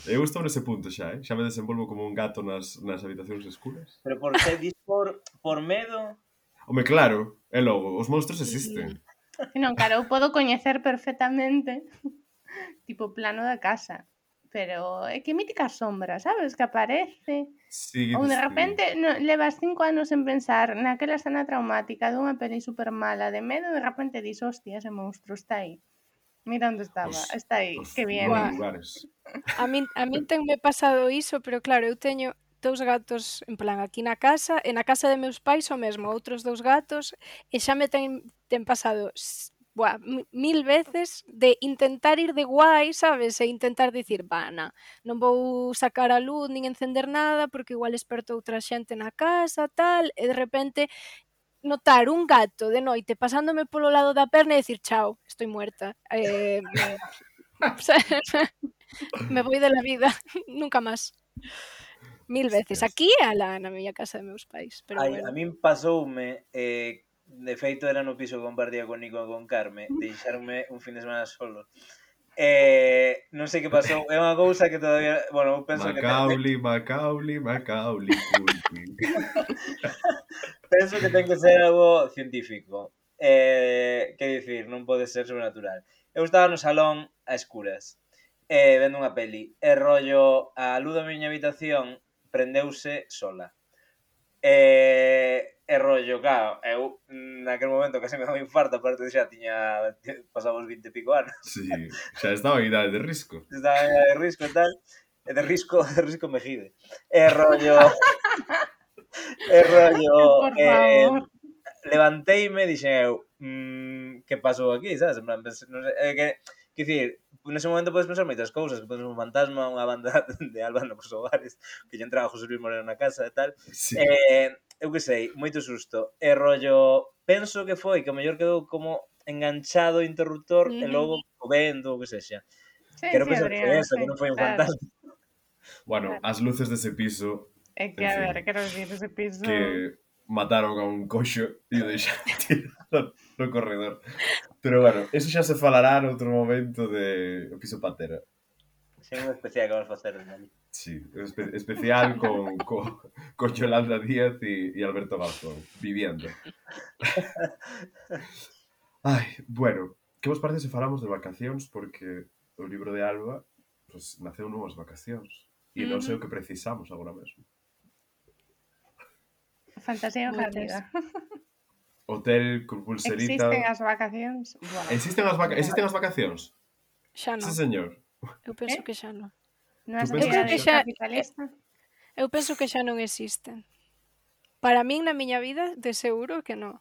Eu estou nese punto xa, eh? Xa me desenvolvo como un gato nas, nas habitacións escuras. Pero por que dis por, por medo? Home, claro, e logo, os monstros existen. Non, claro, eu podo coñecer perfectamente tipo o plano da casa, pero é que mítica sombra, sabes, que aparece. Sí, Ou de dices ti. repente no, levas cinco anos en pensar naquela escena traumática dunha peli super mala de medo e de repente dis, hostia, ese monstro está aí. Mira onde estaba, Os, está aí, os que bien. buenos Buah. lugares. A min, a min tenme pasado iso, pero claro, eu teño dous gatos en plan aquí na casa e na casa de meus pais o mesmo, outros dous gatos e xa me ten, ten pasado s- buah, mi- mil veces de intentar ir de guai, sabes? E intentar dicir, va, na, non vou sacar a luz nin encender nada porque igual esperto outra xente na casa, tal, e de repente notar un gato de noite pasándome polo lado da perna e dicir, chao, estoy muerta. Eh, me voy de la vida, nunca máis. Mil veces. Hostias. Aquí e alá na miña casa de meus pais, pero Ai, bueno. a min pasoume, eh, de feito era no piso que compartía con Nico e con Carme, deixarme un fin de semana solo. Eh, non sei que pasou, é unha cousa que todavía, bueno, eu penso que te, Macaulay, Macaulay, Macaulay, Culkin. penso que ten que ser algo científico. Eh, que dicir, non pode ser sobrenatural. Eu estaba no salón a escuras. e vendo unha peli. E rollo, a luz da miña habitación prendeuse sola. E, e rollo, claro, eu naquel momento case me dá un infarto, aparte de xa tiña pasado os vinte e pico anos. Sí, xa estaba en idade de risco. Estaba en idade de risco e tal, e de risco, de risco mejide. E rollo... e rollo... Por eh, favor. levanteime e dixen eu, mmm, que pasou aquí, sabes? En plan, pues, non sei, eh, que, que dicir, nese momento podes pensar moitas cousas, que podes un fantasma, unha banda de Álvaro nos hogares, que lle entraba José Luis Moreno na casa e tal. Sí. Eh, eu que sei, moito susto. E rollo, penso que foi que o mellor quedou como enganchado o interruptor e Ujú. logo o vento, o que sexa. Sí, Quero sí, pensar que foi Adrián, eso, sí, que non foi un claro. fantasma. Bueno, as luces dese piso É que, En a fin. ver, quero dicir, ese piso... que mataron a un coxo e o deixaron tirado no corredor. Pero bueno, eso xa se falará noutro momento de o piso Patera. Sei un especial que vamos facer desde ali. Sí, espe especial con, con, con Yolanda Díaz e, e Alberto Garzón, viviendo. Ai, bueno, que vos parece se falamos de vacacións? Porque o libro de Alba pues, naceu nunhas vacacións e non sei o que precisamos agora mesmo. Fantasía Moitas. galega. Hotel con pulserita... Existen as vacacións? Buah. Existen as, vaca... Existen as vacacións? Xa non. Sí, señor. Eu penso Eh? que xa non. Nunha Tú pensas creo sociedade que xa- capitalista? Eu penso que xa non existen. Para min, na miña vida, de seguro que non.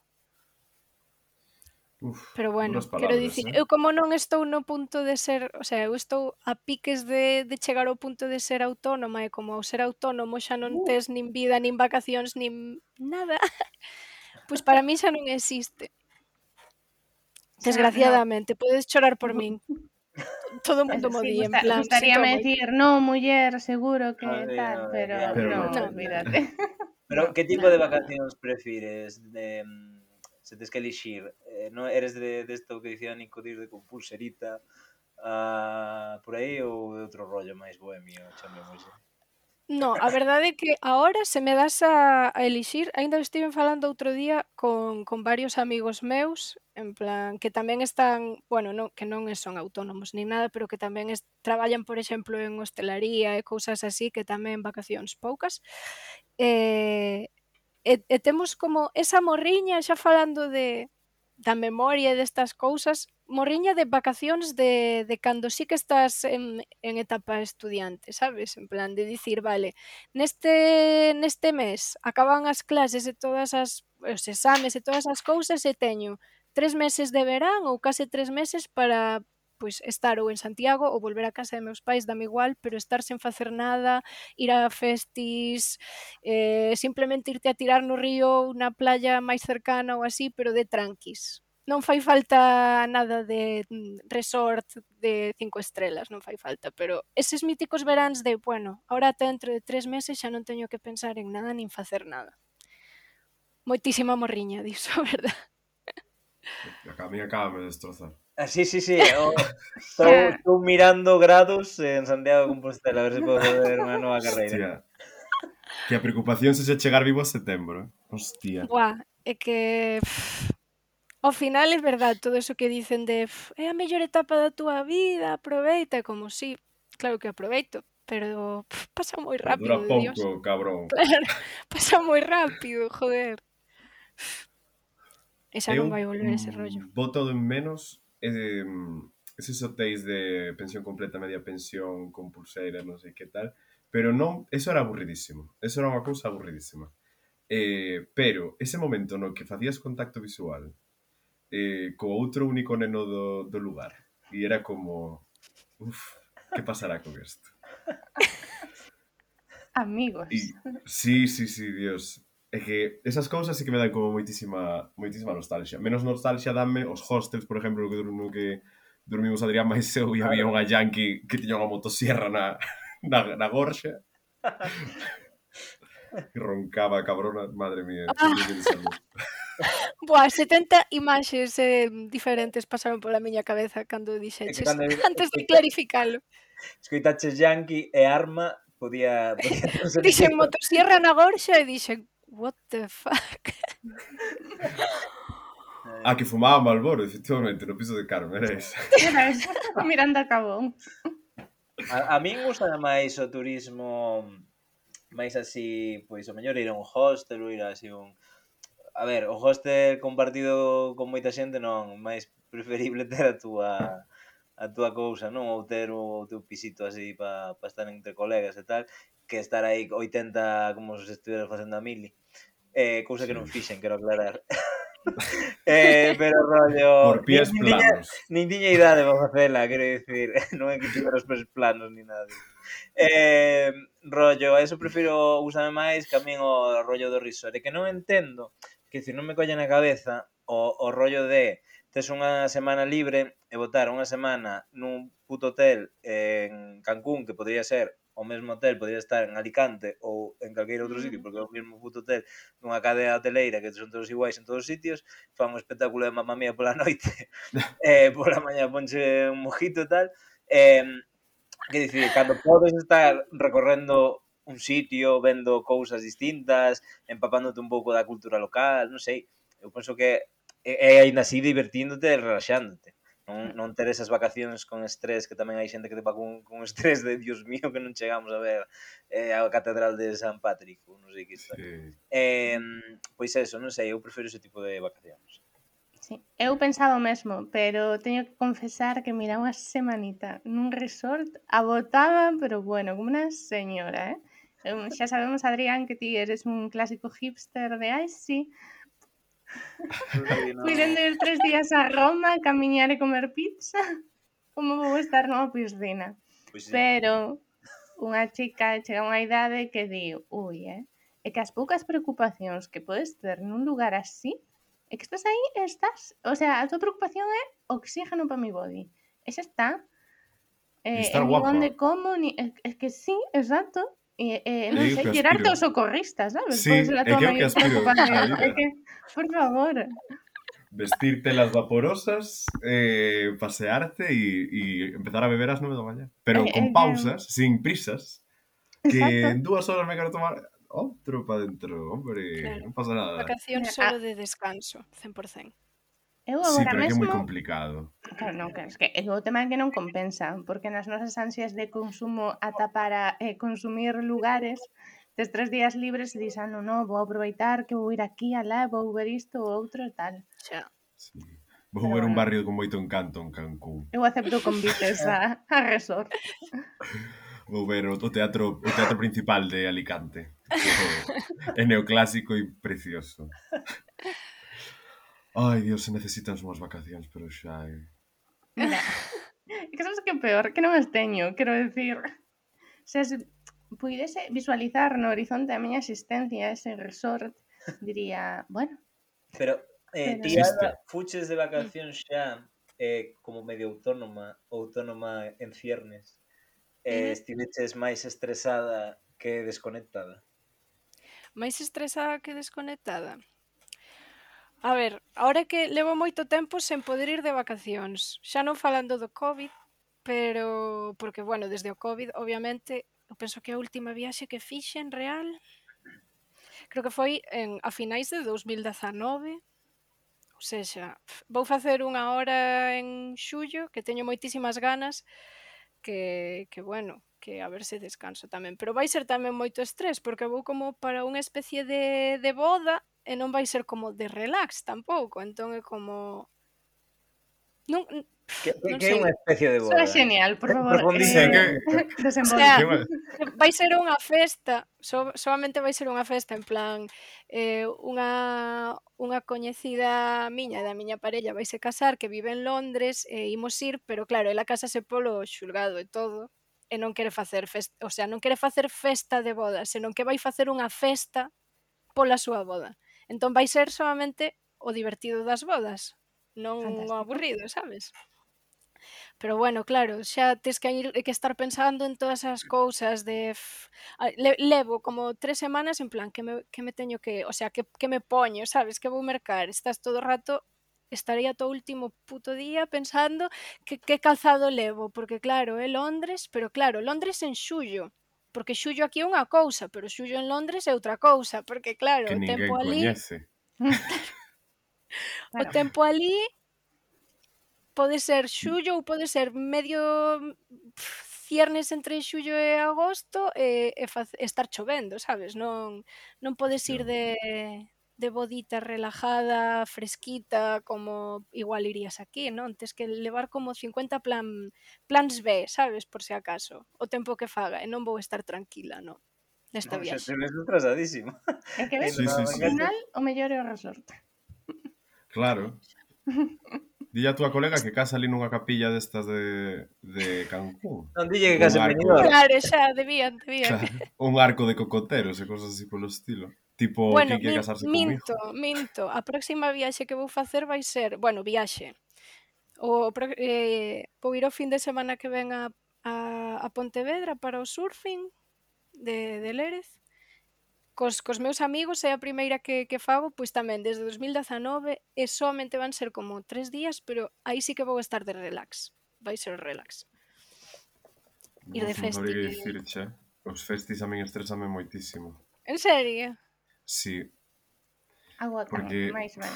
Uf, Pero bueno, duras quero palabras, dicir, eh? eu como non estou no punto de ser, o sea, eu estou a piques de, de chegar ao punto de ser autónoma e como ao ser autónomo xa non tes nin vida, nin vacacións, nin nada, pois para mí xa non existe. Xa, Desgraciadamente, podes chorar por min. Todo o mundo no. mo Sí, di, en gusta, plan, gustaríame sinto moito. decir, no, muller, seguro que Ah, sí, tal, no, pero, claro. Pero no, no. olvídate. Pero No, que tipo nada. de vacacións prefires? De, mm, se tes que elixir, eh, non eres de desto de que dicía Nico dir de con pulserita, ah, por aí ou de outro rollo máis bohemio, chamemos? No, a verdade é que agora se me das a, a elixir, aínda estiven falando outro día con, con varios amigos meus, en plan, que tamén están, bueno, non, que non son autónomos nin nada, pero que tamén es, traballan, por exemplo, en hostelaría e cousas así, que tamén vacacións poucas. E, e, e temos como esa morriña, xa falando de da memoria e destas cousas, morriña de vacacións de, de cando sí que estás en, en etapa estudiante, sabes? En plan de dicir, vale, neste, neste mes acaban as clases e todas as os exames e todas as cousas e teño tres meses de verán ou case tres meses para pois estar ou en Santiago ou volver a casa de meus pais, dame igual, pero estar sen facer nada, ir a festis, eh, simplemente irte a tirar no río ou na playa máis cercana ou así, pero de tranquis. Non fai falta nada de mm, resort de cinco estrelas, non fai falta, pero eses míticos veráns de, bueno, ahora ata dentro de tres meses xa non teño que pensar en nada nin facer nada. Moitísima morriña diso, verdad? A mí acaba de destrozar. Ah, sí, sí, sí, estou, estou mirando grados en Santiago de Compostela, a ver se podo fazer unha nova carreira. Hostia. Que a preocupación se xe chegar vivo a setembro, eh? Hostia. Buah, é que... pff, ao final é verdad todo eso que dicen de pff, é a mellor etapa da túa vida, aproveita, e como si, sí, claro que aproveito, pero pff, pasa moi Pero dura rápido, de Dios. pouco, cabrón. Claro, pasa moi rápido, joder. E xa non Eu vai volver ese mm, rollo. boto en menos eh, eses hotéis de pensión completa, media pensión, con pulseira, non sei que tal, pero non, eso era aburridísimo. Eso era unha cousa aburridísima. Eh, pero ese momento no que facías contacto visual eh, co outro único neno do, do lugar e era como, uf, que pasará con isto? Amigos. Y, sí, sí, sí, Dios. É que esas cousas sí que me dan como moitísima moitísima nostalgia. Menos nostalgia danme os hostels, por exemplo, que no que dormimos Adrián máis eu e había unha yankee que tiña unha motosierra na, na, na gorxa. E roncaba a cabrona, madre mía. Ah. Buah, setenta imaxes eh, diferentes pasaron pola miña cabeza cando dixeches, cando- antes de clarificalo. Escoitaches Yankee e Arma, podía... podía non ser Dixen distinto. motosierra na gorxa e dixen, what the fuck? Ah, que fumaba Malboro, efectivamente, no piso de Carmen, era esa. Era eso. Miranda Cabón. A, a min gusta máis o turismo máis así, pois o mellor ir a un hostel ou ir a así un... A ver, o hostel compartido con moita xente non, máis preferible ter a túa a túa cousa, non? Ou ter o teu pisito así para pa estar entre colegas e tal, que estar aí oitenta como se estuviera facendo a mili. Eh, cousa que non Sí. fixen, quero aclarar. eh, pero rollo... Por pies nin, nin, tiña, planos. nin tiña idade para facela, quero dicir. Non é que tivera os pies planos ni nada. Eh, rollo, eso prefiro usarme máis que a min o rollo do resort. E que non entendo, que se non me colle na cabeza o, o rollo de tes unha semana libre e botar unha semana nun puto hotel en Cancún, que podría ser o mesmo hotel, podría estar en Alicante ou en calqueiro outro sitio, porque é o mesmo puto hotel nunha cadea hoteleira que son todos iguais en todos os sitios, fan un espectáculo de Mamma Mía pola noite, eh, pola mañá ponche un mojito e tal, eh, que dicir, cando podes estar recorrendo un sitio, vendo cousas distintas, empapándote un pouco da cultura local, non sei, eu penso que é, é aínda así divertíndote e relaxándote. Non, non ter esas vacacións con estrés, que tamén hai xente que te va con, con estrés de Dios mío que non chegamos a ver eh, a Catedral de San Patrick, ou non sei que está. Sí. Eh, pois eso, non sei, eu prefiro ese tipo de vacacións. Sí, eu pensaba o mesmo, pero teño que confesar que mira unha semanita nun resort abotaba, pero bueno, como unha señora, eh? Eu, xa sabemos, Adrián, que ti eres un clásico hipster de ai, sí, Sí, no. puidendo ir tres días a Roma, camiñar e comer pizza, como vou estar nunha piscina. Pois sí. Pero unha chica chega a unha idade que di, ui, eh? É que as poucas preocupacións que podes ter nun lugar así, é que estás aí e estás, o sea, a tua preocupación é oxígeno para mi body. E xa está. E Eh, estar nin guapa. onde como, ni... é, é que sí, exacto. E, eh, non É o sei, que tirarte aspiro. aos socorristas, sabes? Sí, Pode ser a é tua que é o que maior aspiro na preocupación. vida. É que, por favor. Vestirte las vaporosas, eh, pasearte y, y empezar a beber a las nueve de la mañana. Pero É, é con que... pausas, sin prisas, que Exacto. en dúas horas me quero tomar outro para dentro, hombre, Claro. non pasa nada. Vacacións Mira, solo ah, de descanso, cen por cento. eu Sí, agora pero é que é moi mesmo... complicado. Claro, non, claro, es que é o tema é que non compensa, porque nas nosas ansias de consumo ata para eh, consumir lugares, tes tres días libres e dis, ah, non, non, vou aproveitar que vou ir aquí, alá, vou ver isto ou outro e tal. Xa. Sí. Vou Pero ver un bueno. barrio con moito encanto en Cancún. Eu acepto convites a, a resort. Vou ver o, o teatro o teatro principal de Alicante. É neoclásico e precioso. Ai, Dios, se necesitan unhas vacacións, pero xa é... Mira, é que sabes que é peor, que non as teño, quero decir, se as puidese visualizar no horizonte a miña existencia ese resort, diría, bueno, Pero, eh, pero... ti, Existe. Alba, fuches de vacacións xa eh, como medio autónoma autónoma en ciernes, eh, Ujú. estiveches máis estresada que desconectada? Máis estresada que desconectada? A ver, ahora que levo moito tempo sen poder ir de vacacións, xa non falando do COVID, pero porque, bueno, desde o COVID, obviamente, eu penso que a última viaxe que fixen real, creo que foi en a finais de dous mil dezanove, ou sexa, vou facer unha hora en xullo, que teño moitísimas ganas, que, que bueno, que a ver se descanso tamén. Pero vai ser tamén moito estrés, porque vou como para unha especie de, de boda e non vai ser como de relax tampouco, entón é como... Non, Que, que, non que é sei, unha especie de Soa boda? xenial, por favor, Profundízame. Sí, eh, que... o desenvolve. sea, que va- vai ser unha festa, so, solamente vai ser unha festa en plan eh, unha, unha coñecida miña e da miña parella vai se casar que vive en Londres e imos ir, pero claro, ela casase polo xulgado e todo e non quere facer festa, o sea, non quere facer festa de boda, senón que vai facer unha festa pola súa boda. Entón vai ser solamente o divertido das bodas, non o Fantástico. aburrido, sabes? Pero bueno, claro, xa tes que ir que estar pensando en todas as cousas de f- a- le, levo como tres semanas en plan que me, que me teño que, o sea, que, que me poño, sabes, que vou mercar, estás todo o rato estaría todo o último puto día pensando que, que calzado levo, porque claro, é Londres, pero claro, Londres en xullo, porque xullo aquí é unha cousa, pero xullo en Londres é outra cousa, porque claro, que o tempo ninguén ali, coñece. o Claro. tempo ali pode ser xullo ou pode ser medio pff, ciernes entre xullo e agosto e, e faz- estar chovendo, sabes? Non, non podes ir Hostia. de, de bodita relajada, fresquita, como igual irías aquí, non? Tes que levar como cincuenta plan, plans B, sabes? Por se acaso, o tempo que faga, e non vou estar tranquila, non? Nesta Non, xa te viaxe. ves atrasadísima. É que ves, Ainda Sí, non sí, ao sí. engancha. final o mellor é o resort. Claro. Dille a túa colega que casa ali nunha capilla destas de, de Cancún. Non dille que Un case en arco, Benidorm. Claro, xa, debían, debían. claro, un arco de cocoteros e cosas así polo estilo. Tipo, Bueno, quen quere min, casarse minto, conmigo? minto. A próxima viaxe que vou facer vai ser, bueno, viaxe. O, pro- eh, vou ir o fin de semana que ven a, a, a Pontevedra para o surfing de, de Lérez. Cos, cos meus amigos é a primeira que, que fago, pois tamén desde dos mil dezanove e somente van ser como tres días, pero aí sí que vou estar de relax. Vai ser relax. Ir de Uf, non festi. sabría que dicir, che. Os festis a min estresame moitísimo. En serio? Sí, Agotan, porque máis ben.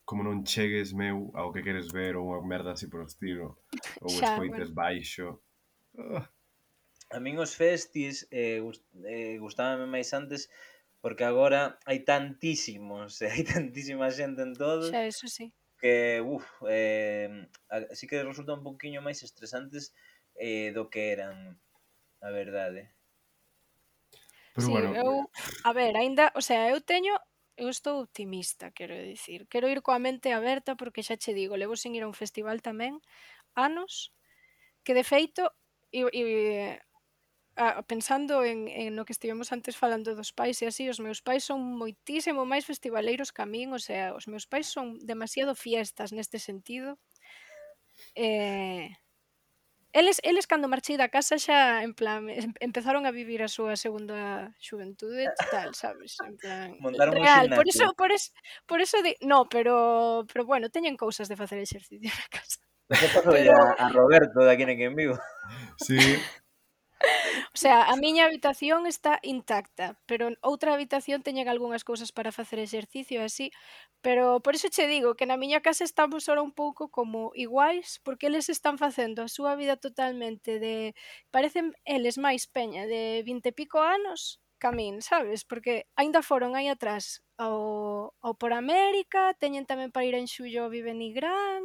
como non chegues, meu, ao que queres ver ou unha merda así por estilo, ou Xa, escoites bueno. baixo. Ah, A min os festis eh, gust, eh, gustábame máis antes porque agora hai tantísimos, e hai tantísima xente en todos Xa, eso sí. que, uf, eh, así que resulta un poquinho máis estresantes eh, do que eran, a verdade. pero Sí, bueno, eu, a ver, aínda, o sea, eu teño, eu estou optimista, quero dicir. Quero ir coa mente aberta porque xa che digo, levo sen ir a un festival tamén anos, que de feito, e, e a, pensando en, en no que estivemos antes falando dos pais e así, os meus pais son moitísimo máis festivaleiros que a min, o sea, os meus pais son demasiado fiestas neste sentido. Eh, Eles, eles cando marchei da casa xa, en plan, em- empezaron a vivir a súa segunda xuventude total, sabes? En plan, Montaron un real. Por ximnasio. iso, por es, por iso de, no, pero, pero bueno, teñen cousas de facer exercicio na casa. Eso pasou Pero, a, a Roberto de aquí en Quen Vivo. sí, o sea, a miña habitación está intacta, pero outra habitación teñen algunhas cousas para facer exercicio e así, pero por iso che digo que na miña casa estamos ahora un pouco como iguais, porque eles están facendo a súa vida totalmente de, parecen eles máis peña de vinte e pico anos que a min, sabes? Porque aínda foron aí atrás ao, ao por América, teñen tamén para ir en xullo ao Vive Nigrán,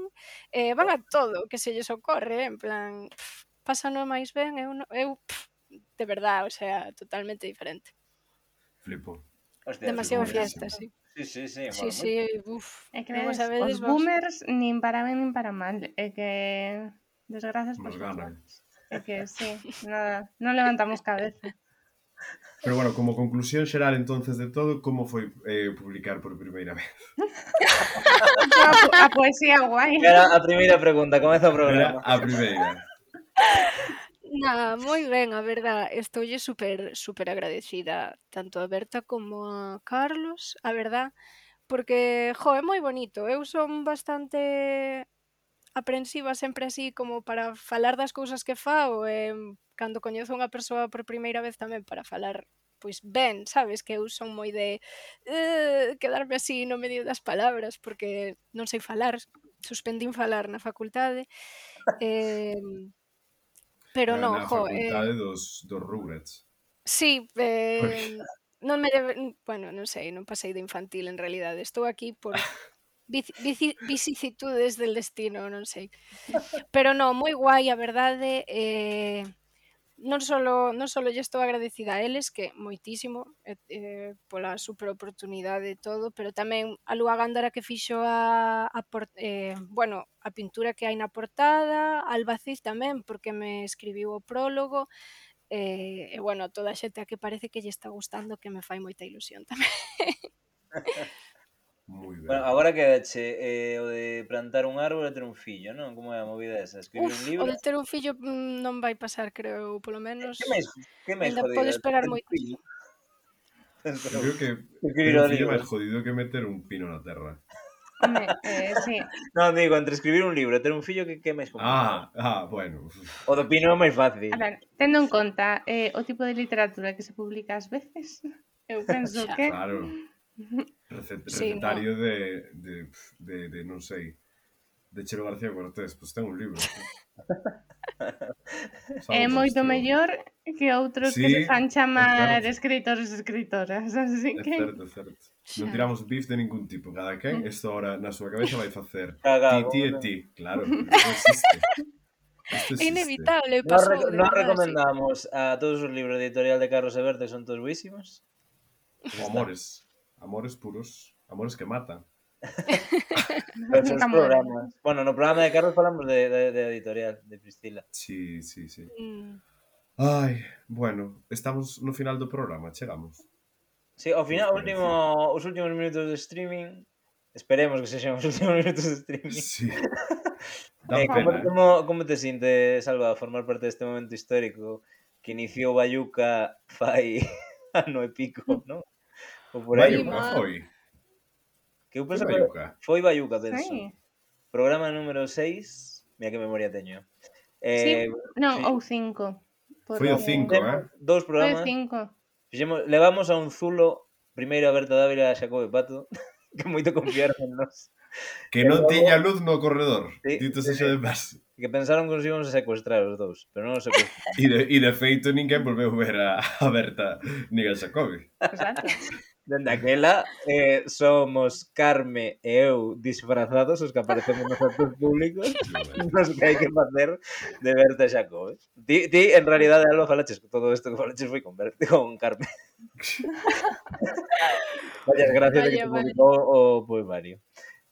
eh, van a todo o que se lles ocorre, en plan, pff, pásano máis ben, eu, no, eu pff, de verdad, o sea, totalmente diferente. flipo. Hostia, sí, Demasiado moitísimo. fiesta, sí. sí, sí, sí, Sí, mola sí, moito. uf, É que non o ves, os sabedes vos. boomers nin para ben nin para mal. É que desgrazas por Nos todos ganan. lados. É que sí, nada, non levantamos cabeza. Pero bueno, como conclusión xeral entonces de todo, como foi eh, publicar por primeira vez? A, po- a poesía guai. Era a primeira pregunta, comeza o Era programa. a primeira. Nada, moi ben, a verdad, estoulle super super agradecida tanto a Berta como a Carlos, a verdad, porque, jo, é moi bonito. Eu son bastante aprensiva sempre así como para falar das cousas que fago e cando coñezo unha persoa por primeira vez tamén para falar pois ben, sabes, que eu son moi de eh, quedarme así no medio das palabras porque non sei falar, suspendín falar na facultade. Eh, pero Na, non, na jo, eh, facultade dos, dos Rugrats. sí, Porque, eh, non me debe, bueno, non sei, non pasei de infantil en realidade. Estou aquí por vici, vici, vicissitudes del destino, non sei. Pero non, moi guai, a verdade, eh, non solo non solo lle estou agradecida a eles, que moitísimo, eh, eh, pola super oportunidade e todo, pero tamén a Lúa Gándara que fixo a, a por, eh, bueno, a pintura que hai na portada, a Albacid tamén, porque me escribiu o prólogo, eh, e bueno, toda a xente a que parece que lle está gustando, que me fai moita ilusión tamén. moi ben. Bueno, agora quedache eh, o de plantar un árbol e ter un fillo, non? Como é a movida esa? Escribir Uf, un o libro? de ter un fillo mm, non vai pasar, creo, polo menos Que máis, que máis aínda jodido? pode esperar Ter un moito. fillo? Eu creo que Escribir ter o un fillo é libro. máis jodido que meter un pino na terra. Home, eh, sí. Non, digo, entre escribir un libro e ter un fillo, que, que é máis complicado? Ah, ah, bueno. O do pino é máis fácil. A ver, tendo en conta eh, o tipo de literatura que se publica ás veces, eu penso Xa. que... Claro. Recet, Sí, recetario de, de, de, de, non sei, de Chelo García Cortés, pois pues ten un libro. É moito mellor que outros que se Sí, fan é chamar certo. escritores e escritoras, así É que... certo, é certo. Non Xa. tiramos bif de ningún tipo. Cada quen, isto ahora na súa cabeza vai facer Caga, ti, ti e como ti. Claro, porque isto existe. Isto É existe. inevitable, Nos, pasou, reco- de nos verdade, sí. recomendamos a todos os libros de editorial de Carlos Eberto, que son todos buísimos. Pues O está. amores. Amores puros. Amores que matan. Pero son Nunca os mueren. programas. Bueno, no programa de Carlos falamos de, de, de editorial, de Priscila. Sí, sí, sí. Mm. Ai, bueno, estamos no final do programa, chegamos. Sí, ao Que final, vos o último, os últimos minutos de streaming, esperemos que sexan os últimos minutos de streaming. Sí. Da Eh, como, pena, eh? como, como te sintes, Salva, a formar parte deste momento histórico que iniciou Bayuca fai ano e pico, non? Ou por aí. Bayuca, mal. foi. Que eu Foi penso que Bayuca. foi Bayuca, penso. Sí. Programa número seis, mira que memoria teño. Sí, Eh, non, fi- ou cinco. Foi o porque- cinco, temos eh? dous Foi o programas. cinco. Fixemos, levamos a un zulo primeiro a Berta Dávila e a Xacobe Pato, que moito confiaron en nos. Que E non logo- tiña luz no corredor. Sí, Dito sí, sexa sí. de paso. Que pensaron que nos íbamos a secuestrar os dous, pero non os secuestraron. E de, e de feito ninguén volveu ver a, a Berta nin a Xacobi. Exacto. Dende aquela, eh, somos Carme e eu disfrazados os que aparecemos nos actos públicos nos que hai que facer de Berta e Xacobe. Ti, ti en realidade, Alba, falaches que todo isto que falaches foi con, Berta, con Carme. Vallas gracias de que Vaya, te vaya. publicou o poemario.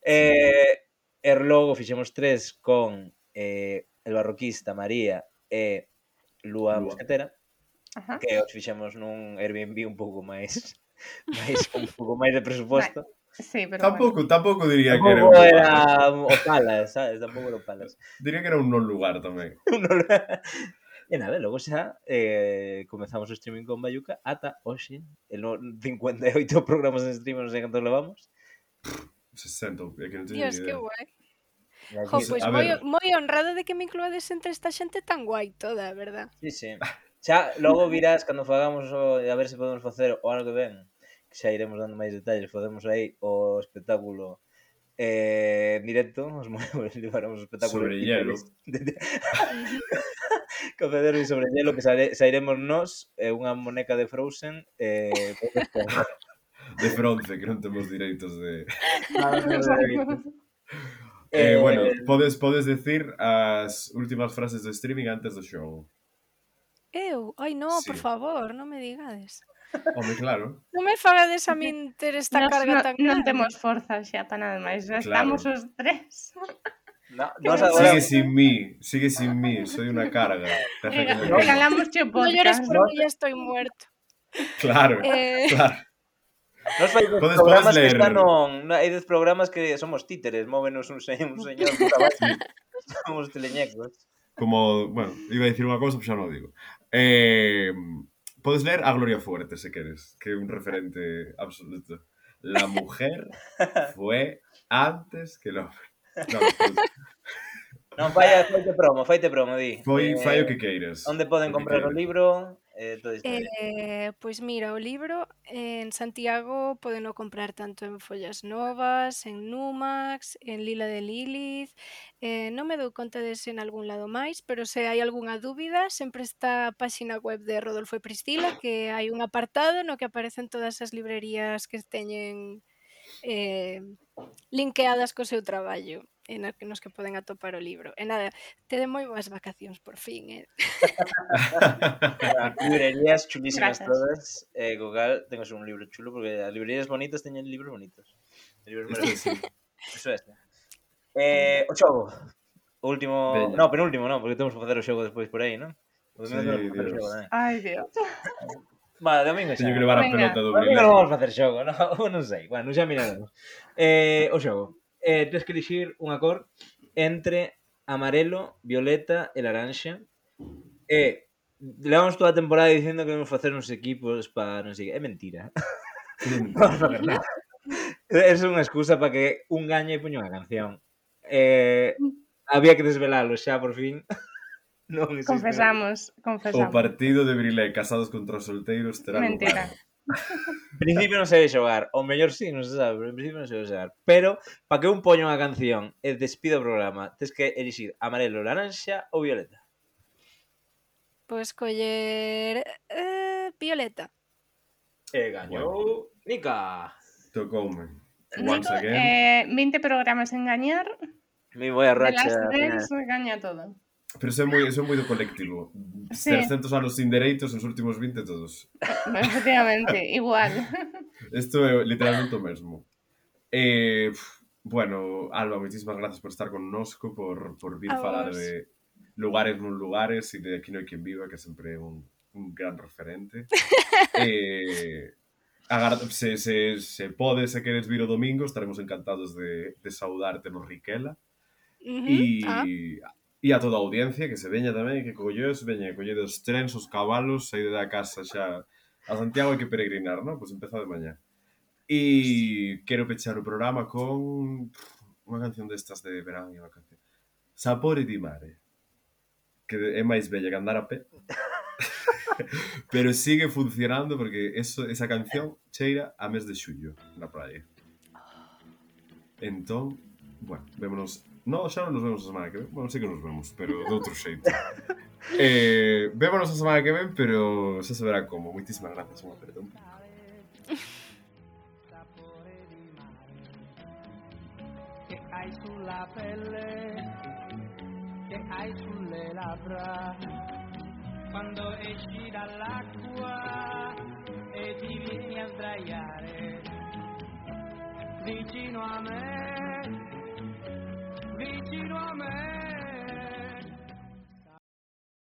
Eh, e logo fixemos tres con eh, el barroquista, María e Lua Lua. Mosquetera, Ajá. que os fixemos nun Airbnb un pouco máis máis con un pouco máis de presuposto. Sí, pero Tampouco, tampouco diría que era Tampouco un era lugar. o Palas, sabes? Tampouco era o Palas. Diría que era un non lugar tamén. E nada, logo xa eh, comezamos o streaming con Bayuca ata hoxe, en no cincuenta e oito programas de streaming, non sei cantos levamos. sesenta, é que non teño Dios, ni que idea. guai. E aquí- Jo, Pues, pois a moi, ver. moi honrada de que me incluades entre esta xente tan guai toda, verdad? Sí, sí. Xa, logo virás cando fagamos o, a ver se podemos facer o ano que ven, que xa iremos dando máis detalles, podemos aí o espectáculo eh, en directo, os movemos, levaremos o espectáculo Sobre de hielo. de- Café Derby sobre hielo, que saire, sairemos nós, eh, unha moneca de Frozen, eh, De Fronce, que non temos direitos de... bueno. Eh, Eh, bueno, podes, podes decir as últimas frases do streaming antes do show. Eu? Ai, no, por Sí. favor, non me digades. Home, claro. Non me fagades a min ter esta Nos, carga no, tan non grande. temos forza xa para nada máis. Já Claro. estamos os tres. no, Que nos me agora, Sigue sin mí, sigue sin mí, soy una carga. Deja que me Regalamos che No llores podcast. por mí, ya estoy muerto. Claro, Eh, claro. nos fai dez Podes- programas podes que leer. están non, hai dez programas que somos títeres, móvenos un señor, un señor por abaixo. Somos teleñecos. Como, bueno, iba a dicir unha cousa, pero xa non o digo. Eh, podes ler a Gloria Fuerte, se queres, que é un referente absoluto. La mujer fue antes que el hombre. No, pues, Non, fai, faite promo, faite promo, di. foi, Eh, fai o que queiras. Onde poden O que comprar o queiras. libro? Eh, toda a historia. eh, pois mira, o libro en Santiago podeno comprar tanto en Follas Novas, en Numax, en Lila de Lilith. Eh, non me dou conta de se en algún lado máis, pero se hai algunha dúbida, sempre está a páxina web de Rodolfo e Priscila, que hai un apartado no que aparecen todas as librerías que teñen eh, linkeadas co seu traballo e na que nos que poden atopar o libro. E nada, tede moi boas vacacións por fin, eh? As librerías chulísimas Grazas. todas. Eh, Google, tengo un libro chulo porque as librerías bonitas teñen libros bonitos. Libros Isto é así. Eso é. Eh, o xogo. O último, Veña. no, penúltimo, non, porque temos que facer o xogo despois por aí, non? O domingo Sí, temos que facer o Dios. xogo tamén. Ai, Dios. Vale, domingo xa. Teño que levar a Venga. pelota do Domingo Brilé. non vamos facer xogo, non, non sei. Bueno, xa miraremos. Eh, o xogo. Eh, tens que elixir unha cor entre amarelo, violeta e laranxa. E levamos toda a temporada dicindo que vamos facer uns equipos para non sei, é mentira. Non vamos facer nada. É unha excusa para que un gañe e poña unha canción. Eh, había que desvelalo xa por fin. Non existe. Confesamos, O confesamos. partido de Brilé casados contra os solteiros terá Mentira. lugar. En principio non se debe xogar. O mellor sí, non se sabe, pero en principio non se debe xogar. Pero, para que un poña unha canción e despida o programa, tens que elixir amarelo, laranxa ou violeta. pois coller eh, Violeta. E gañou Nica. Tocoume. Nico, Once again. eh, veinte programas en gañar, Me voy a de racha las final. tres gaña todo. Pero eso é moi, eso é moi do colectivo. Sí. trescentos anos sin dereitos, os últimos vinte todos. Efectivamente, igual. Isto é literalmente o mesmo. Eh, pf, bueno, Alba, moitísimas gracias por estar connosco, por, por vir A falar vos. de lugares non lugares e de Aquí non hai quen viva, que sempre é un, un gran referente. eh, agar- se, se, se podes e queres vir o domingo, estaremos encantados de, de saudarte no Riquela. Ujú. E, Ah, e a toda a audiencia que se veña tamén, que colleos, veña, collede os trens, os cabalos, saíde da casa xa a Santiago hai que peregrinar, non? Pois empeza de mañá. E quero pechar o programa con unha canción destas de verán e vacación. Sapore di mare. Que é máis bella que andar a pé. Pero sigue funcionando porque eso, esa canción cheira a mes de xullo na praia. Entón, bueno, vémonos. No, xa non nos vemos a semana que ven. Bueno, sí que nos vemos, pero de outro xeito. eh, vémonos a semana que ven, pero xa se verá como. Moitísimas gracias, unha perdón. Che hai sulla pelle, che hai sulle labbra, quando esci dall'acqua e ti vieni a sdraiare vicino a me, vicino a me.